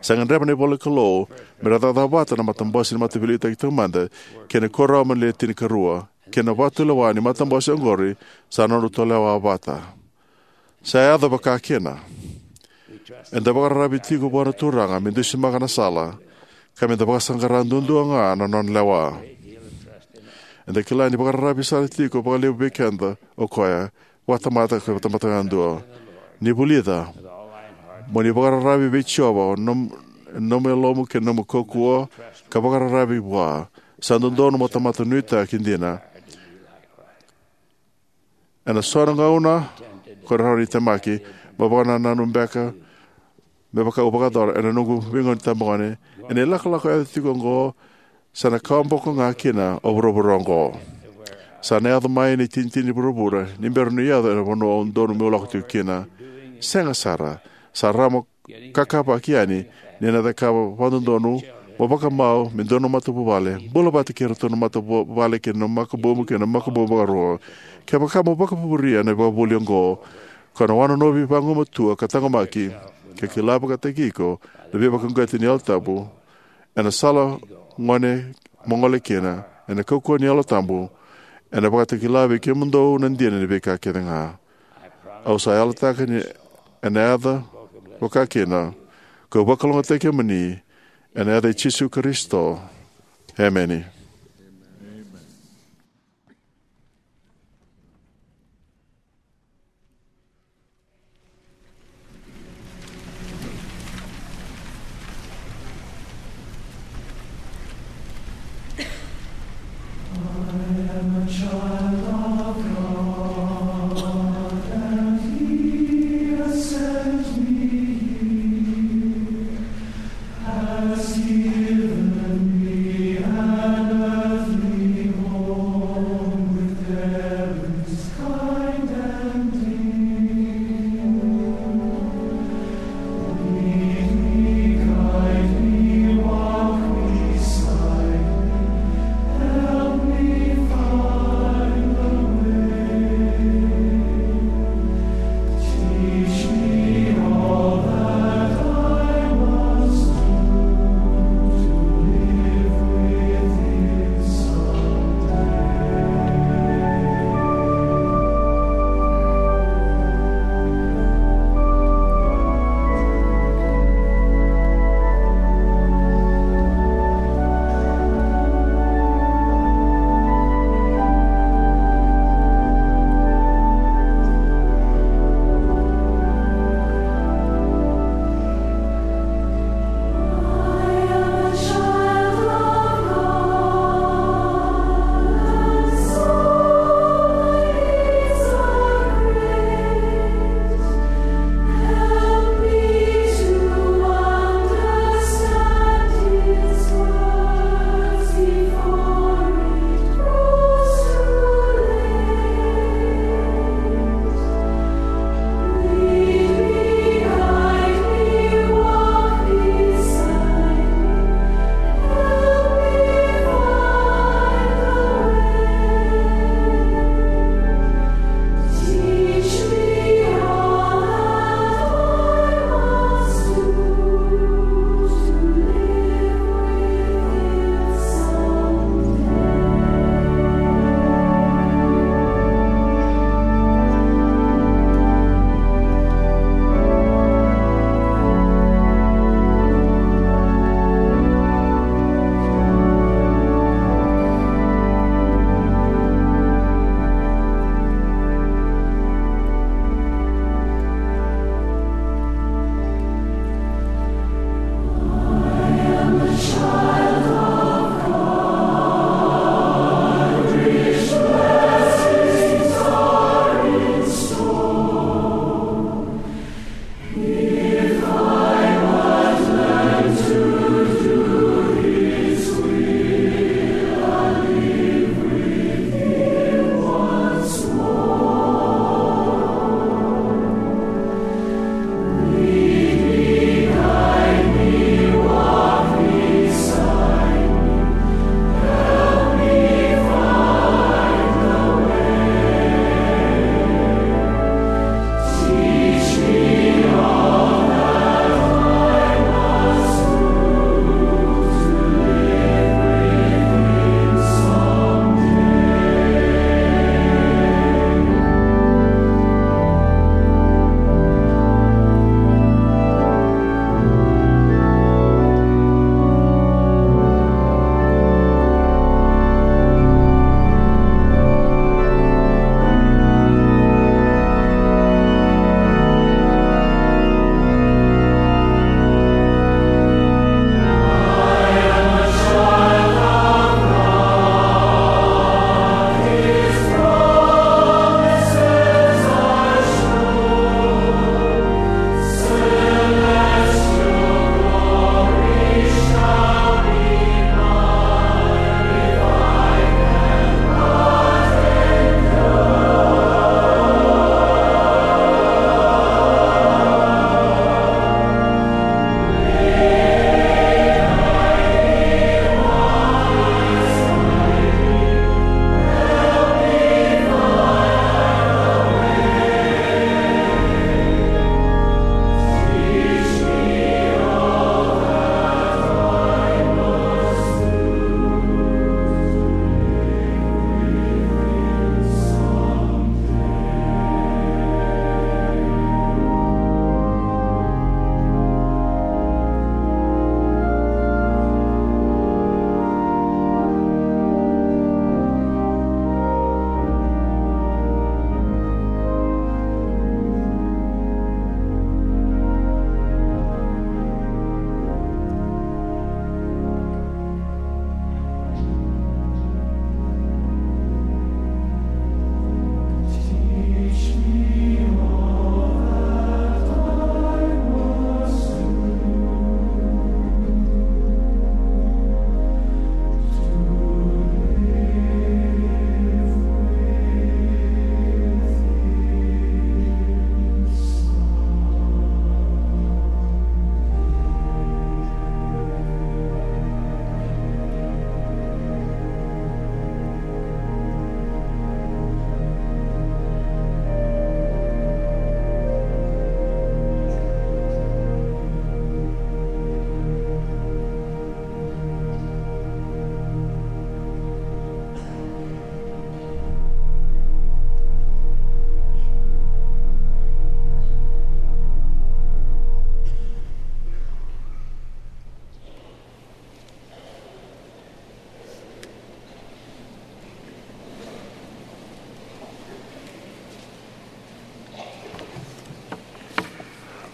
Sa gadreva na ivola ni Kalou me ra cakacaka vata na matabose ni mataveiliutaki taumada kei na kuoramu ni le tinikarua, kei na vakatulewa ni matabose oqori sa nodratou lewa vata. Sa yaco vakakina. Eda vakararavi tiko vua na Turaga me dusimaka na sala, ka meda vakasaqara duadua ga na nona lewa. Eda kila ni vakararavi sara tiko vakalevu vei keda o koya, vakatamata ka vakatamata yadua. Ni vulica, mo ni vakararavi vei Jiova o nom-, nomu yalomu kei na nomu kaukauwa, ka vakararavi vua. Sa dodonu mo tamata nuitaki dina. Ena so na gauna ko rawa ni temaki, mo vakanananu beka, me vaka au vakayacora ena noqu veigauna ni tabagone, ena ilakolako e yaco tiko oqo, sa na kawaboko ga kina o vuravura oqo. Sa na yaco mai na itinitini ni vuravura ni bera niu yaco ena vanua au donu meu lako tiko kina. Sega sara, sa rawa mo kakavaki yani ni na cakava vakadodonu mo vakamau me dua na matavuvale, bula vata kei iratou na matavuvale kei na makubumu kei na makubumu vakarua. Kevaka mo vakavuria na ivakavuvuli oqo, ko na wanonovi vagumatua ka taqomaki, ka kila vakataki iko na veivakauqeti ni Yalo Tabu, ena sala gone mo gole kina, ena kaukauwa ni Yalo Tabu, ena vakatakila vei kemudou na dina ni veika kece ga. Au sa yalataka ni ena yaco vakakina, kau vakalougatataki kemuni, ena yaca i Jisu Karisito. Emeni.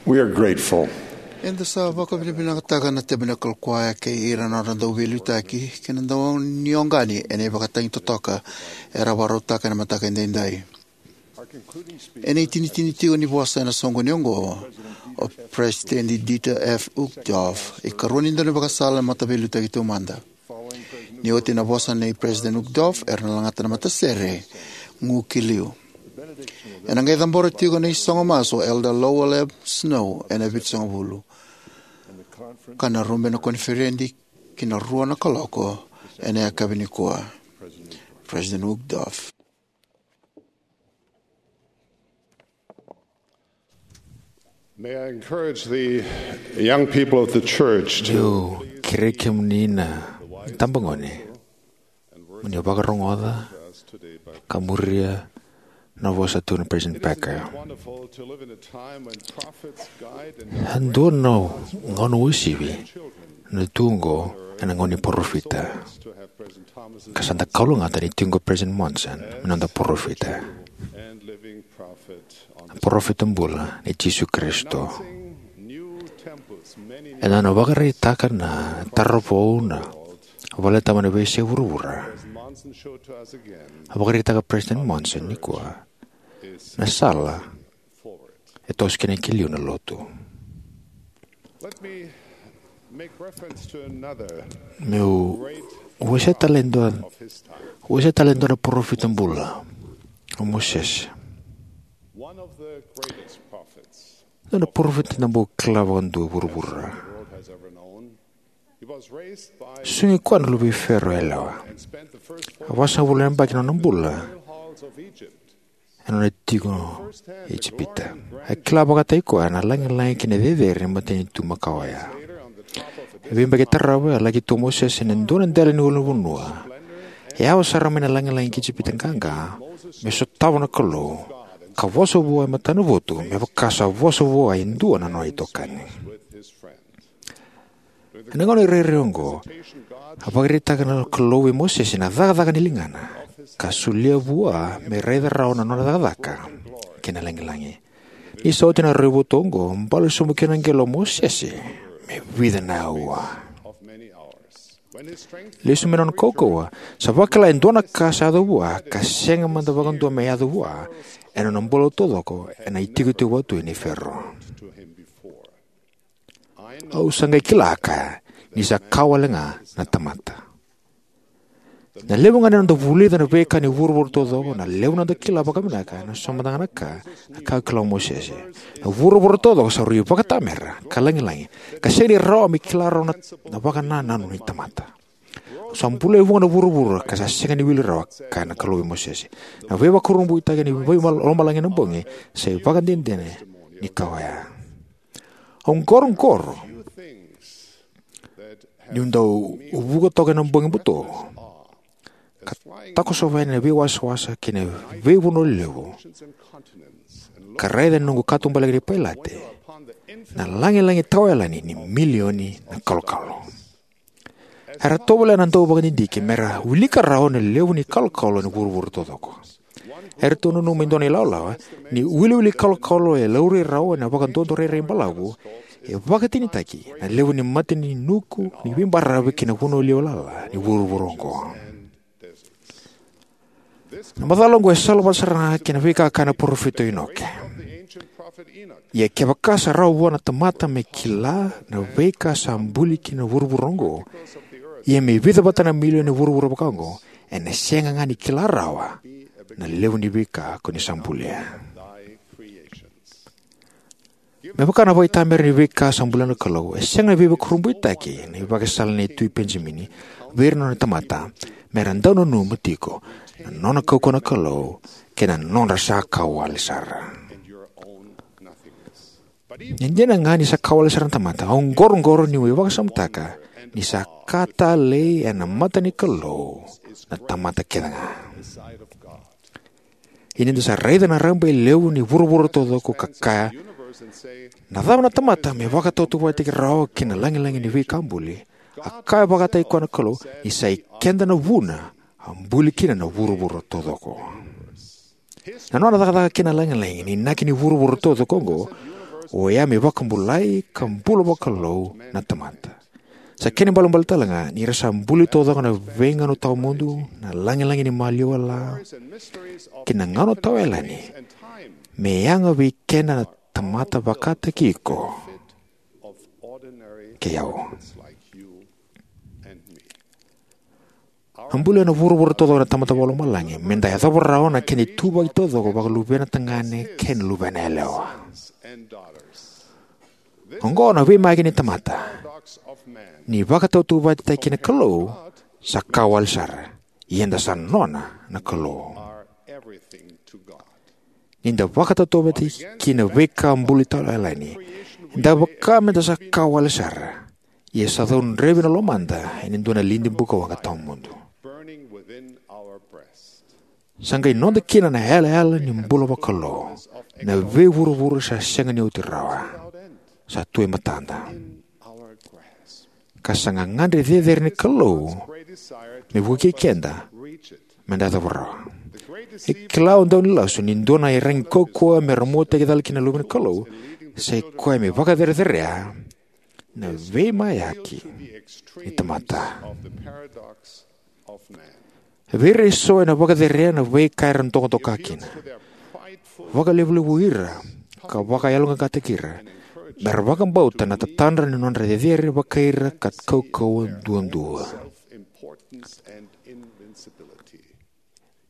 We are grateful. Eda sa vakavinavinakataka na tabernacle choir kei ira na nodra dau veiliutaki kei na dau ni oqani ena ivakatagi totoka era vakarautaka ena mataka edaidai. Ena itinitini tiko ni vosa ena soqoni oqo, o President Dieter F. Uchtdorf, ikarua ni daunivakasala na Mataveiliutaki Taumada. Ni oti na vosa nei President Uchtdorf, era na lagata na matasere gu ki liu. Ena qai cabora tiko na isogo masu o Elder Lowell M. Snow ena vitusagavulu, ka na rube na koniferedi ki na rua na kaloko ena yakavi nikua. President Uchtdorf. May I encourage the young people of the church to Meu kerei kemuni na tabagone mo ni vakarogoca ka muria na vosa tu na President Packer. Wonderful to live in a time when prophets guide and E dua na gauna uasivi na tu oqo ena gauna ni parofita. Ka sa da kalougata ni tiko o President Monson me noda parofita, na parofita bula nei Jisu Karisito. E na nona vakaraitaka na tara vou na valetabu ena veiyasai vuravura. A vakaraitaka President Monson nikua na sala e toso kina ki liu na lotu. Let me make reference to another Meu wasea tale e dua, wasea tale e dua na parofita bula, o Mosese. One of the greatest prophets Dua na parofita eda bau kila vakadua e vuravura. The world has ever known. He was raised by Susugi koya na luvei Fero yalewa. And spent the first A vasagavulu na yabaki na nona bula halls of Egypt. Ena nona tiko e Ijipita. A kila vakataki koya na lagilagi kei na cecere ni matanitu makawa oya. E veiyabaki tarava, a laki tu o Mosese ena dua na dela ni ulunivanua. E yawa sara mai na lagilagi ki Ijipita qaqa, me sotava na Kalou, ka vosa vua e matanavotu, me vaka sa vosa vua e dua na nona itokani. Ena gauna irairai oqo, a vakaraitaka na Kalou vei Mosese na cakacaka ni ligana, ka solia vua me raica rawa na nona cakacaka kei na lagilagi. Ni sa oti na raivotu oqo, bale sobu kina na qele o Mosese me vica na aua. Lesu mai na nona kaukauwa, sa vakila e dua na ka sa yaco vua, ka sega mada vakadua me yaco vua ena nona bula taucoko ena itikotiko vakatui nei Fero. Au sa qai kila, a kaya, ni sa ka wale ga na tamata. Na levu ga ni noda vulica na veika ni vuravura taucoko, na levu ni noda kila vakavinaka, ena so mada ga na ka, na ka e kila o Mosese. Na vuravura taucoko sa rui vakatamera ka lagilagi, ka sega ni rawa me kila rawa na, na vakanananu ni tamata. Sa bula e vuqa na vuravura ka sa sega ni wili rawa, kaya na Kalou vei Mosese. Na veivakurabuitaki ni veimalo-, lomalagi ena bogi sa ivakadinadina ni ka oya. Au qoroqoro niu dau vuka toka ena bogi buto, ka takosova yani na veiwasawasa kei na veivanua lelevu, ka raica ena noqu katubaleka ni pailate na lagilagi tawayalani ni milioni na kalokalo. Era tovolea na dauvakadidike mera wilika rawa na levu ni kalokalo ena vuravura taucoko. Eratou nanuma e dua na ilawalawa ni wiliwili kalokalo e laurai rawa ena vakadodorairai balavu e vakatinitaki na levu ni mata ni nuku ni veibaravi kei na vanua levu lala ni vuravura oqo. Na macala oqo e salavata sara ga kei na veika a kaya na parofita o Inoke. Ia kevaka sa rawa vua na tamata me kila na veika sa buli kina na vuravura oqo, ia me vica vata na milioni na vuravura vaka oqo, ena sega ga ni kila rawa na levu ni veika ko ni sa bulia. Me vaka na vakaitamera ni veika sa bulia na Kalou, e sega ni veivakurabuitaki na ivakasala nei Tui Penijamini vei ira na nona tamata, mera dau nanuma tiko na nona kaukauwa na Kalou kei na nodra sa ka wale sara. E dina ga ni sa ka wale sara na tamata, au qoroqoro niu vakasamataka ni sa ka talei ena mata ni Kalou na tamata kece ga. Ia ni da sa raica na rabailevu ni vuravura taucoko ka kaya, na cava na tamata me vakatautauvatataki rawa kei na lagilagi ni veika buli? A kaya vakataki koya na Kalou ni sa i keda na vuna a buli kina na vuravura taucoko. Na nona cakacaka kei na lagilagi ni inaki ni vuravura taucoko oqo, oya me vakabulai ka bula vakalou na tamata. Sa kena ibalebale tale ga ni ra sa buli taucoko na veigauna tawamudu, na lagilagi ni maliwa lawa, kei na gauna tawayalani, me yaga vei keda na tamata vakataki iko kei au. A buli ena vuravura taucoko na Tamada Vakalomalagi me da yacova rawa na kena ituvaki taucoko vaka-luvena tagane kei na luvena yalewa. Oqo na veimayaki ni tamata: ni vakatautauvatataki kei na Kalou sa ka wale sara, ia eda sa nona na Kalou. Ni da vakatautauvatataki ki na veika buli tawayalani, da vaka me da sa ka wale sara, ia sa caudrevi na lomada ena dua na lidi bukawaqa tawamudu. Sa qai noda kina na yalayala ni bula vakalou, na veivuravura sa sega ni oti rawa, sa tu e matada. Ka sa gagadre cecere ni Kalou me vukei keda me da yacova rawa. E kila o daunilasu ni dua na iyaragi kaukauwa me ra muataki cala kina na luve ni Kalou sa ikoya me vakacerecerei na veimayaki ni tamata. Vei ira eso ena vakacerea na veika era dokadoka kina. Vakalevulevui ira ka vakayaloqaqataki ira me ra vakabauta na tatadra ni nodra cecere vakai ira ka kaukauwa duadua.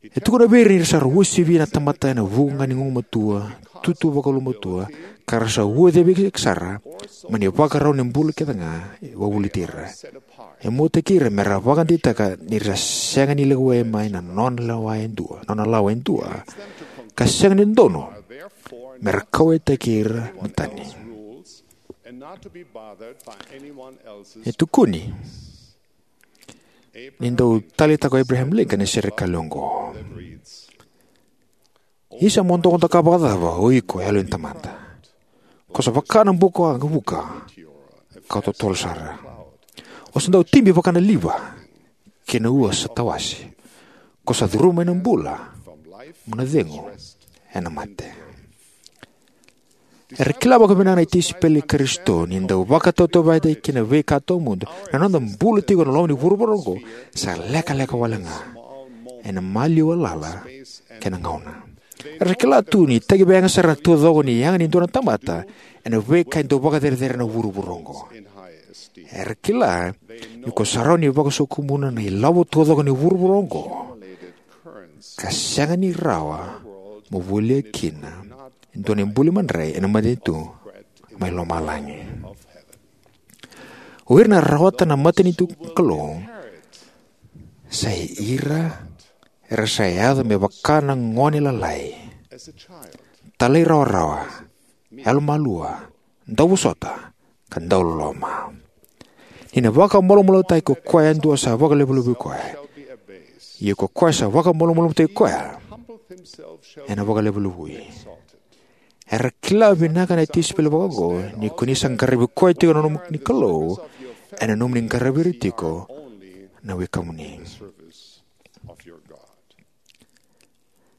E tukuna vei ira ni ra sa uasivi na tamata ena vuku ga ni gugumatua, tutu vakaulumatua, ka ra sa uacavi sara mai na ivakarau ni bula kece ga e wavoliti ira. E muataki ira me ra vakadeitaka ni ra sega ni lewe mai na nona lawa e dua, nona lawa e dua, ka sega ni dodonu me ra kauwaitaki ira na tani. E tukuni ni dau taleitaka o Abraham Lincoln na serikali oqo: Isa, mo dokadoka vakacava o iko, yalo ni tamata? Ko sa vaka na bukawaqa vuka ka totolo sara. O sa dau tibi vaka na liva kei na ua sa tawase. Ko sa curuma mai na bula mo na cegu ena mate. Era kila vakavinaka na tisaipeli i Karisito ni dau vakatautauvatataki kei na veika tawamudu, na noda bula tiko ena loma ni vuravura oqo sa lekaleka wale ga ena maliwa lala kei na gauna. Era kila tu ni takiveiyaga sara na taucoko ni yaga ni dua na tamata ena veika e dau vakacerecerei ena vuravura oqo. Era kila ni ko sa rawa ni vakasokumuna na ilavo taucoko ni vuravura oqo, ka sega ni rawa mo volia kina e dua na ibuli madrai ena matanitu mai lomalagi. O ira na rawata na matanitu ni Kalou sa i ira era sa yaco me vaka na gone lalai, talairawarawa, yalomalua, dauvosota, ka dauloloma. Ni na vakamalumalumutaki ko koya yadua sa vakalevulevui koya, ia ko koya sa vakamalumalumutaki koya ena vakalevulevui. Era kila vinaka na tisaipeli vakaoqo ni ko ni sa qaravi koya tiko na nomuni Kalou, ena nomuni qaravi ira tiko na wekamuni.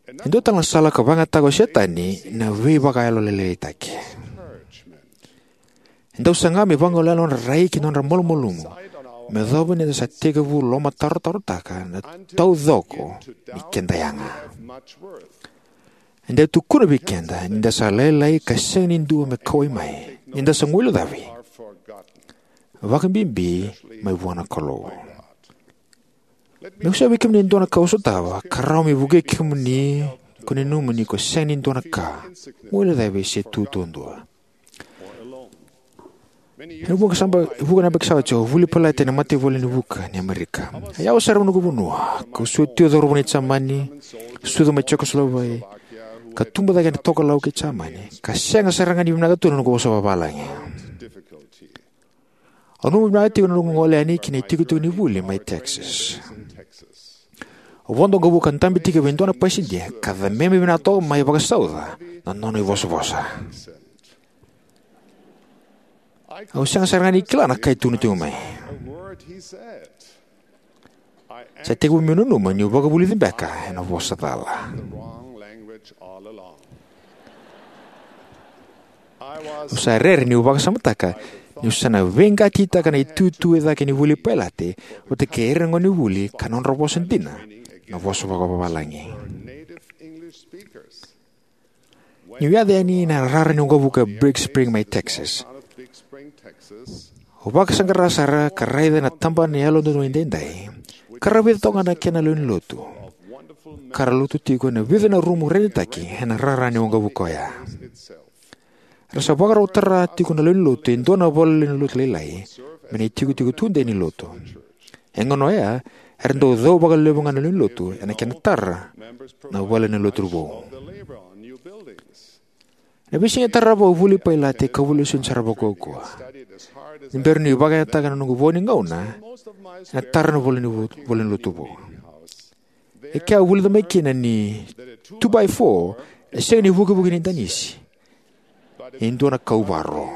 E dua tale na sala ka vakayagataka o Setani na veivakayalolailaitaki. E dau saga me vagolea na nodra rai kei na nodra malumalumu me yacova ni da sa tekivu lomatarotarotaka na taucoko ni keda yaga. E dau tukuna vei keda ni da sa lailai ka sega ni dua me kauwai mai, ni da sa guilecavi, vakabibi mai vua na Kalou. Meu solia vei kemuni e dua na ka au sotava ka rawa me vukei kemuni ko ni nanuma ni ko sega ni dua na ka, guilecavi, se tu duadua. Ena vuqa na yabaki sa oti au a vuli Pailate ena mataivalu ni vuka ni Amerika. A yawa sara na noqu vanua, kau sucu tiko e cauravou ni Jamani, sucu mai Jekoslovaki, ka tubu cake ena tokalau kei Jamani, ka sega sara ga ni vinaka tu na noqu vosa vavalagi. Au nanuma vinaka tiko na noqu gole yani ki na itikotiko ni vuli mai Texas. Au vodo waqavuka ka dabe tiko vei dua na pasidia ka cameme vinaka toka mai vakasauca na nona ivosavosa. Au sega sara ga ni kila na ka e tukuna tiko mai. Sa tekivu meu nanuma niu vakavulici beka ena vosa cala. Au sa rere niu vakasamataka niu sa na veiqatitaka na itutu e cake ni vuli pailate vata kei ira na gonevuli ka nodra vosa dina na vosa vakavalagi. Niu yaco yani ena rara ni waqavuka e Big Spring mai Texas, au vakasaqara sara ka raica na tabana ni Yalododonu Edaidai, ka ra vica toka ga na kena lewenilotu ka ra lotu tiko ena vica na rumu rairitaki ena rara ni waqavuka oya. Era sa vakarau tara tiko na lewenilotu e dua na valenilotu lailai me na itikotiko tudei ni Lotu. Ena gauna oya, era dau cau vakalevu ga na lewenilotu ena kena tara na valenilotu vou. Ena veisiga e tarava au vuli pailate ka vuli lesoni sara vakaukauwa. Ni bera niu vakayagataka na noqu vo ni gauna ena tara na valenilotu vou. E kea au vulica mai kina ni two by four e sega ni vukivuki ni danisi, e dua na kauvaro.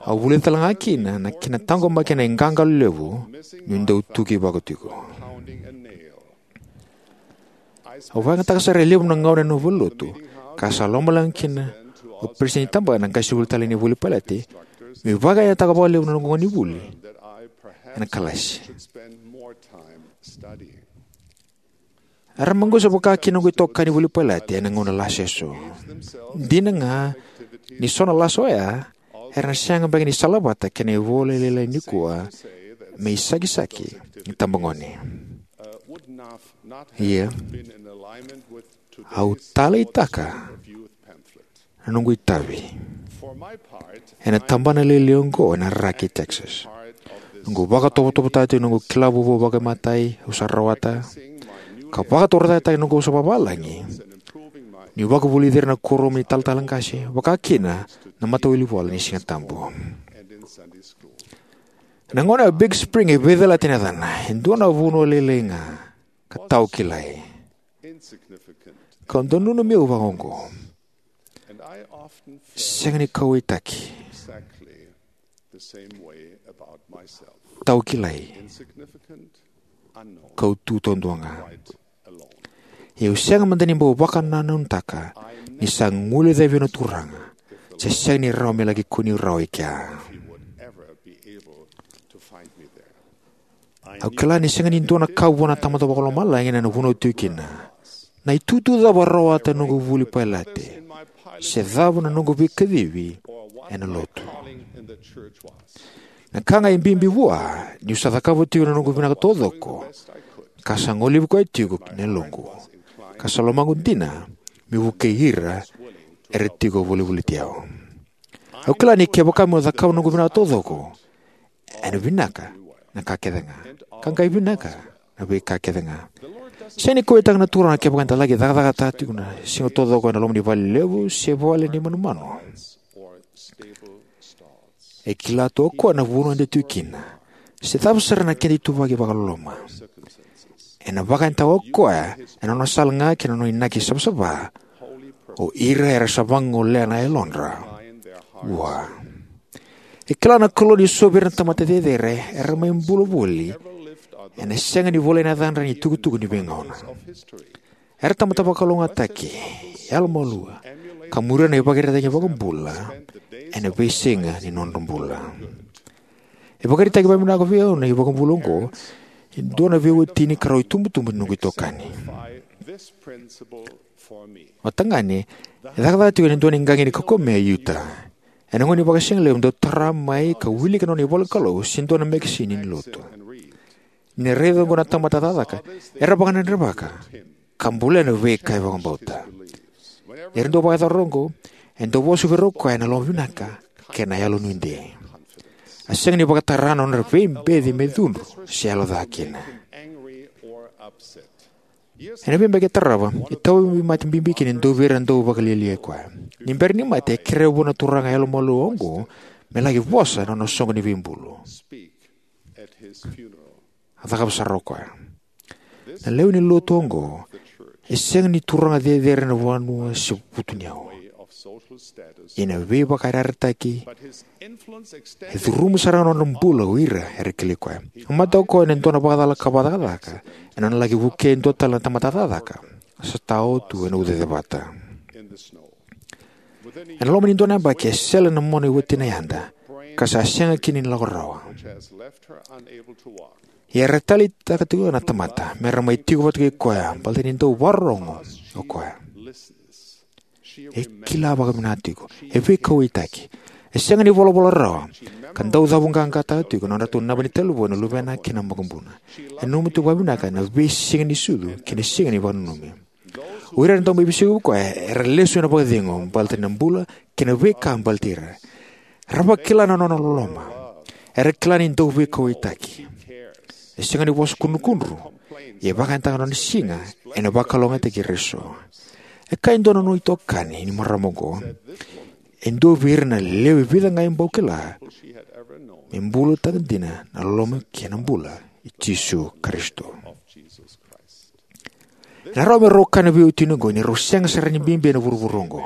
Au vulica tale ga kina na kena taqomaki na iqaqalo levu niu dau tuki vako tiko. Au vakayagataka sara e levu na gauna ena valenilotu, ka sa lomaleqa kina o peresitedi ni tabana na qasenivuli talei ni vuli pailate meu vakayagataka vakalevu na noqu gonevuli ena kalasi. Era maqusa vakakina noqu itokani vuli pailate ena gauna lase eso. Dina ga ni so na lasa oya era na sega beka ni salavata kei na ivola lailai nikua me isakisaki ni tabagone. Ia, au taleitaka na noqu itavi ena tabana lailai oqo ena Raki, Texas. Noqu vakatovotovotaki tiko na noqu kila vovou vakaimatai au sa rawata, ka vakatorocaketaki na noqu vosa vakavalagi niu vakavulici ira na kuoramu ni talatala qase, vakakina na Matawilivola ni Sigatabu. Na gauna o Big Spring e veicalati na yacana, e dua na vanua lailai ga ka tau kilai. Kau dau nanumi au vakaoqo: sega ni kauwaitaki. Tau kilai. Kau tu taudua ga. Ia au sega mada ni bau vakanananutaka ni sa guilecavi au na Turaga, se sega ni rawa me laki kune rawa i kea. Au kila ni sega ni dua na ka vua na Tamada Vakalomalagi ena nona vunau tiko kina na itutu cava au rawata ena noqu vuli pailate, se cava na noqu veikacivi ena Lotu. Na ka ga e bibi vua niu sa cakava tiko na noqu vinaka taucoko, ka sa golevi koya tiko na yaloqu, ka sa lomaqu dina meu vukei ira era tiko volivoliti au. Au kila ni kevaka meu cakava na noqu vinaka taucoko, ena vinaka na ka kece ga, ka qai vinaka na veika kece ga. Sega ni kauwaitaka na Turaga kevaka eda laki cakacakataka tiko na siga taucoko ena loma ni vale levu se vale ni manumanu. E kila tu o Koya na vanua eda tiko kina, se cava sara na keda ituvaki vakaloloma. Ena vakayagataka o Koya ena nona sala ga kei na nona inaki savasava o ira era sa vagolea na yalodra Vua. E kila na Kalou ni so vei ira na tamata cecere era mai bula voli ena sega ni volai na yacadra ena itukutuku ni veigauna. Era tamata vakalougatataki, yalomalua, ka muria na ivakaraitaki ni iVakabula ena veisiga ni nodra bula. E vakaraitaki vakavinaka vei au na iVakabula oqo e dua na veiwatini ka rau itubutubu ni noqu itokani. O tagane e cakacaka tiko ena dua na iqaqi ni kaukamea e Utah. Ena gauna ni vakasigalevu dau tara mai ka wilika na nona ivolanikalou se dua na mekesini ni lotu. Ni raica oqo na tamata cakacaka, era vakadredrevaka ka bolea na veika e vakabauta. Ni ra dau vakayacora oqo, e dau vosa vei ira o koya ena lomavinaka kei na yalonuidei. A sega ni vakatara na nodra veibeci me cudru se yaloca kina. Ena veiyabaki e tarava, e tauvimate bibi kina e dua vei ira na dauvakalialiai koya. Ni bera ni mate, e kerea vua na turaga yalomalua oqo me laki vosa ena nona soqo ni veibulu. A cakava sara o koya. Na lewe ni lotu oqo e sega ni turaga cecere ena vanua se vutuniyau. Ia na veivakayarayarataki e curuma sara ga na nodra bula o ira era kilai koya. A mate o koya ena dua na vakacalaka vakacakacaka ena nona laki vukei e dua tale na tamata cakacaka sa tao tu ena ucacevata. Ena loma ni dua na yabaki, e sele na mona e watina yada, ka sa sega kina ni lako rawa. Ia era taleitaka tiko na tamata me ra mai tiko vata kei koya, baleta ni dau vakarorogo o koya. E kila vakavinaka tiko. E veikauwaitaki. E sega ni volavola rawa, ka dau cavuqaqataka tiko na nodratou naba ni talevoni na luvena kei na makubuna. E nanuma tiko vakavinaka na veisiga ni sucu kei na siga ni vakananumi. O ira era dau mai veisiko vei koya era lesu ena vakacegu, baleta na bula kei na veika baleti ira. Era vakila na nona loloma. Era kila ni dau veikauwaitaki. E sega ni vosa kudrukudru, ia e vakayagataka na nona siga ena vakalougatataki ira eso. E kaya e dua na nona itokani ni marama oqo, e dua vei ira na lewe vica ga e bau kila, me bulataka dina na loloma kei na bula i Jisu Karisito. Ena rawa me rau kaya na veiwatini oqo ni rau sega sara ni bibi ena vuravura oqo.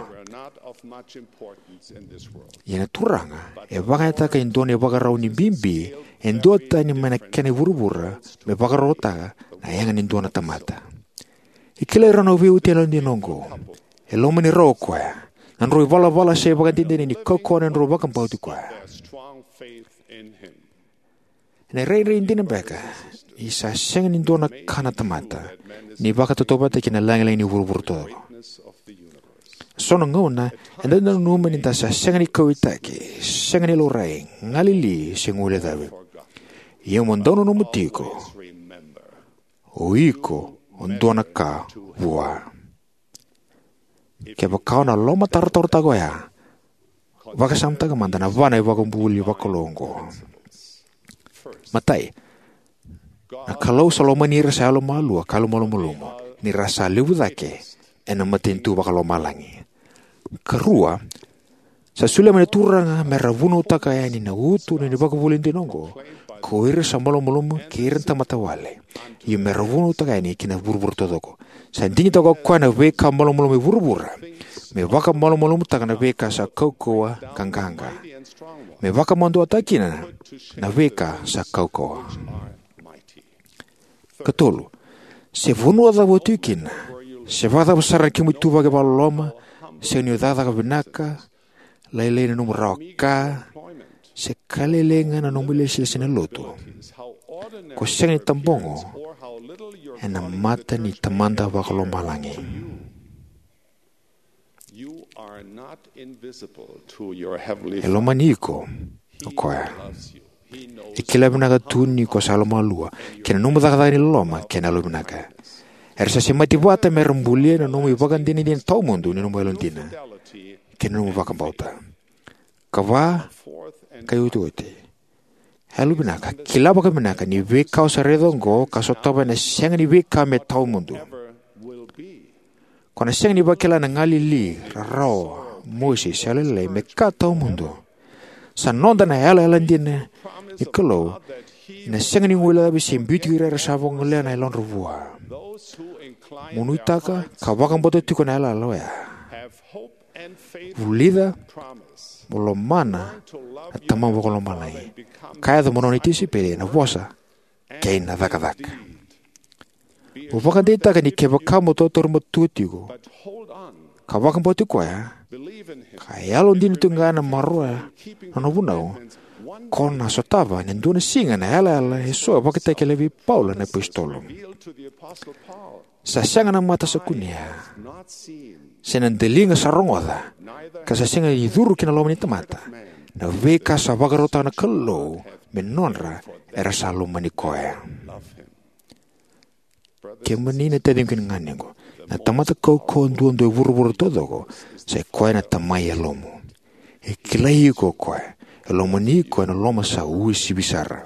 Ia na Turaga e vakayagataka e dua na ivakarau ni bibi e duatani mai na kena i vuravura me vakarautaka na yaga ni dua na tamata. E kilai rau na veiwatini yalodina oqo. E lomani rau o koya. Na nodrau ivalavala sa ivakadinadina ni kaukauwa na nodrau vakabauti koya. Ena rairai dina beka ni sa sega ni dua na ka na tamata ni vakatautauvatataki na lagilagi ni vuravura taucoko. So na gauna eda dau nanuma ni da sa sega ni kauwaitaki, sega ni laurai, galili se guilecavi. Ia mo dau nanuma tiko, o iko o dua na ka vua. Kevaka o na lomatarotarotaka oya, vakasamataka mada na va na ivakavuvuli vakalou oqo. Matai, na Kalou sa lomani ira sa yalomalua ka yalomalumalumu, ni ra sa levu cake ena matanitu vakalomalagi. Karua, sa solia mai na Turaga me ra vunautaka yani na uto ni vakavuvuli dina oqo ko ira sa malumalumu kei ira na tamata wale, io me ra vunautaka yani ki na vuravura taucoko. Sa digitaka o koya na veika malumalumu e vuravura me vakamalumalumutaka na veika sa kaukauwa ka qaqa, me vakamaduataka kina na veika sa kaukauwa. Katolu, se vanua cava o tiko kina, se vakacava sara na kemu ituvaki vakaloloma, se ni o cakacaka vinaka, lailai na nomu rawa ka, se ka lailai ga na nomu ilesilesi ena lotu, ko sega ni tabogo ena mata ni Tamada Vakalomalagi. E lomani iko o koya. E kila vinaka tu ni ko sa yalomalua kei na nomu cakacaka ni loloma kei na yalovinaka. Era sa semati vata me ra bulia na nomu ivakadinadina tawamudu ni nomu yalodina kei na nomu vakabauta. Ka va, ka iotioti, yalovinaka, kila vakavinaka ni veika o sa raica oqo ka sotava ena sega ni veika me tawamudu. Ko na sega ni vakila na galili, rarawa, mosi se yalolailai me ka tawamudu. Sa noda na yalayala dina ni Kalou ena sega ni guilecavi se biuti ira era sa vagolea na yalodra vua. Mo nuitaka ka vakabauta tiko na yalayala oya. Vulica mo lomana na Tamamu Vakalomalagi, ka yaco mo nona tisaipeli ena vosa kei na cakacaka. Mo vakadeitaka ni kevaka mo tautauri matua tiko ka vakabauti koya, ka yalodina tiko ga ena maroroya na nona vunau, ko na sotava ena dua na siga na yalayala eso e vakatakilai vei Paula na apositolo. Sa sega na mata sa kunea, se na daliga sa rogoca, ka sa sega ni curu ki na loma ni tamata, na veika sa vakarautaka na Kalou me nodra era sa lomani koya. Kemuni na taciqu kei na ganequ, na tamata kaukauwa duadua e vuravura taucoko sa i koya na Tamai yalomu. E kilai iko o koya. E lomani iko ena loma sa uasivi sara.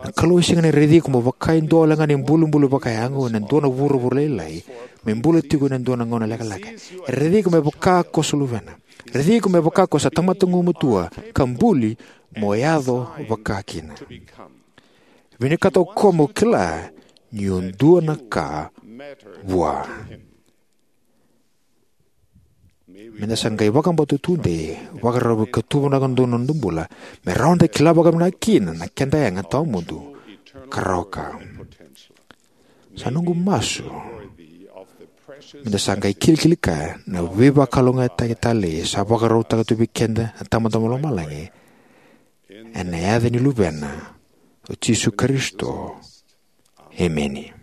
Na Kalou e sega ni raici iko mo vaka e dua wale ga na ibulibuli vakayago ena dua na vuravura lailai, me bula tiko ena dua na gauna lekaleka. E raici iko me vaka ko sa luvena. E raici iko me vaka ko sa tamata gumatua ka buli mo yaco vaka kina. Vinakata o koya mo kila ni o dua na ka vua. Meda sa qai vakabauta tudei, vakarau ka tu vinaka donu na noda bula, me rawa da kila vakavinaka kina na keda yaga tawamudu ka rawa ka. Sa noqu masu Me da sa qai kilikili kaya na veivakalougatataki talei sa vakarautaka tu vei keda na Tamada mai Lomalagi, ena yaca ni Luvena, o Jisu Karisito. Emeni.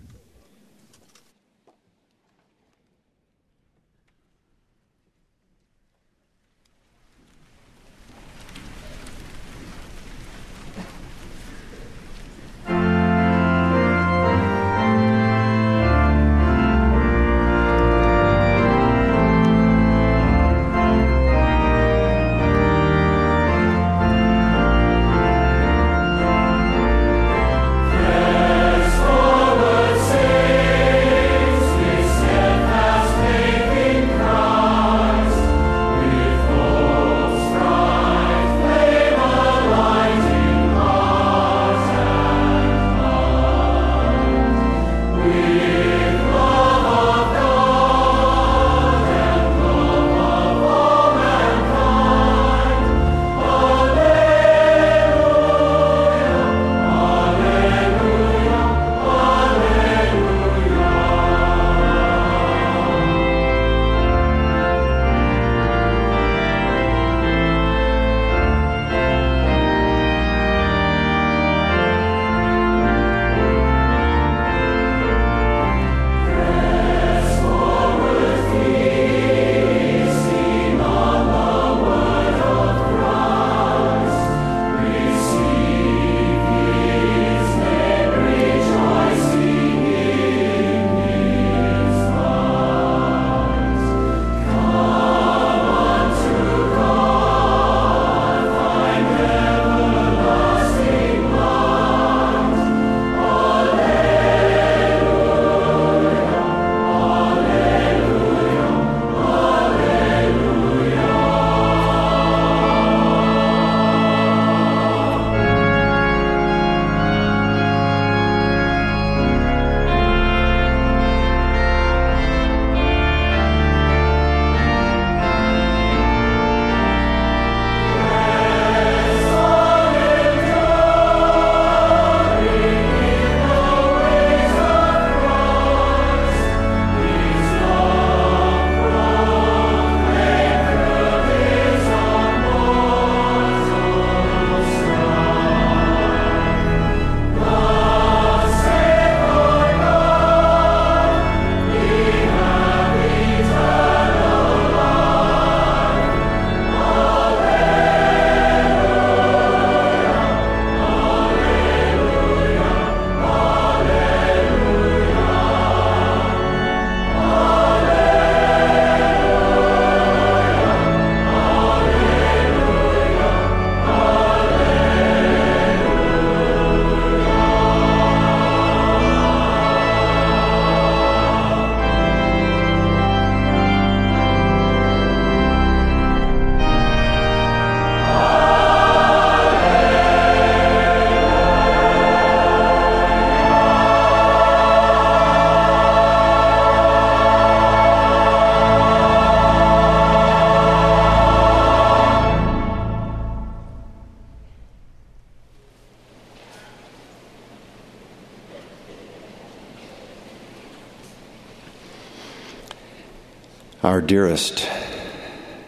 Our dearest,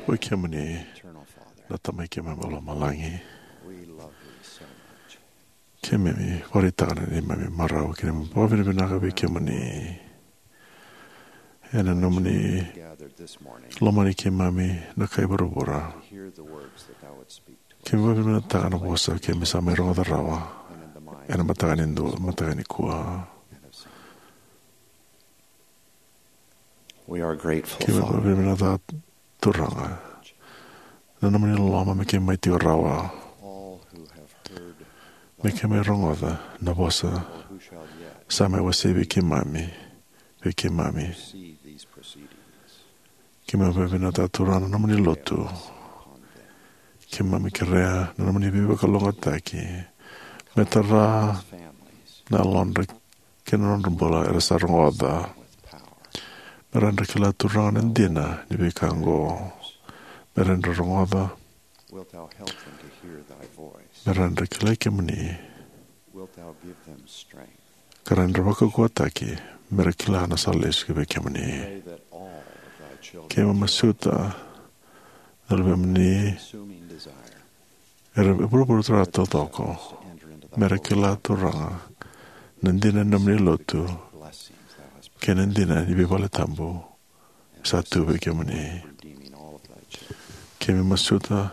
oi kemuni na Tamai keimami mai lomalagi, keimami vakaraitaka na neimami marau kei na neimami vakavinavinaka vei kemuni ena nomuni lomani keimami na kai vuravura. Keimami vakavinavinakataka na vosa keimami sa mai rogoca rawa ena mataka ni dua, mataka nikua. Keimami vakavinavinakataka, Turaga, na nomuni loloma me keimami tiko rawa, me keimami rogoca na vosa sa mai wasei vei keimami, vei keimami. Keimami vakavinavinakataka, Turaga, na nomuni lotu. Keimami kerea na nomuni veivakalougatataki me tara na yalodra kei na nodra bula era sa rogoca. Me ra dra kila, Turaga, na dina ni veika oqo. Me ra dra rogoca. Me ra dra kilai kemuni. ka ra na vakaukauwataki me ra kila na sala lesu ki vei kemuni. Keimami masuta na luvemuni era vuravura taucoko me ra kila, Turaga, na dina ni nomuni lotu kei na dina ni veivaletabu sa tu vei kemuni. Keimami masuta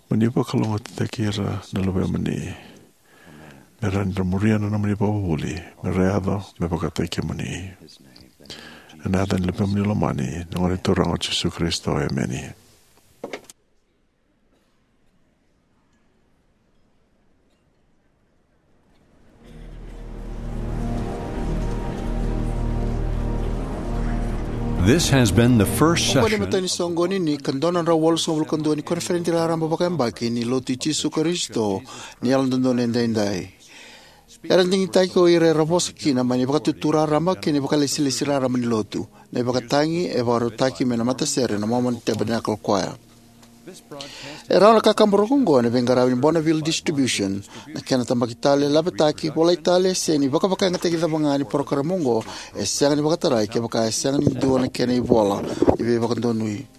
mo ni vakalougatataki ira na luvemuni me ra muria na nomuni vakavuvuli me ra yaco me vakataki kemuni. Ena yaca ni luvemuni lomani, na Gone Turaga o Jisu Karisito, emeni. This has been the first Oqo ni session. Matai ni soqoni ni ka dua na drau walusagavulu ka dua ni koniferedi raraba vakayabaki ni Lotu i Jisu Karisito ni Yalododonu Edaidai. Era digitaki o ira era vosa kina mai na ivakatutu raraba kei na ivakalesilesi raraba ni Lotu. Na ivakatagi e vakarautaki mai na matasere na Mormon Tabernacle Choir. E rawa na kakaburaki oqo ena veiqaravi ni Bonneville Distribution. Na kena tabaki tale, laveti, volai tale, se ni vakavakayagataki cava ga ni parokaramu oqo, e sega ni vakatarai kevaka e sega ni dua na kena ivola ni veivakadonui.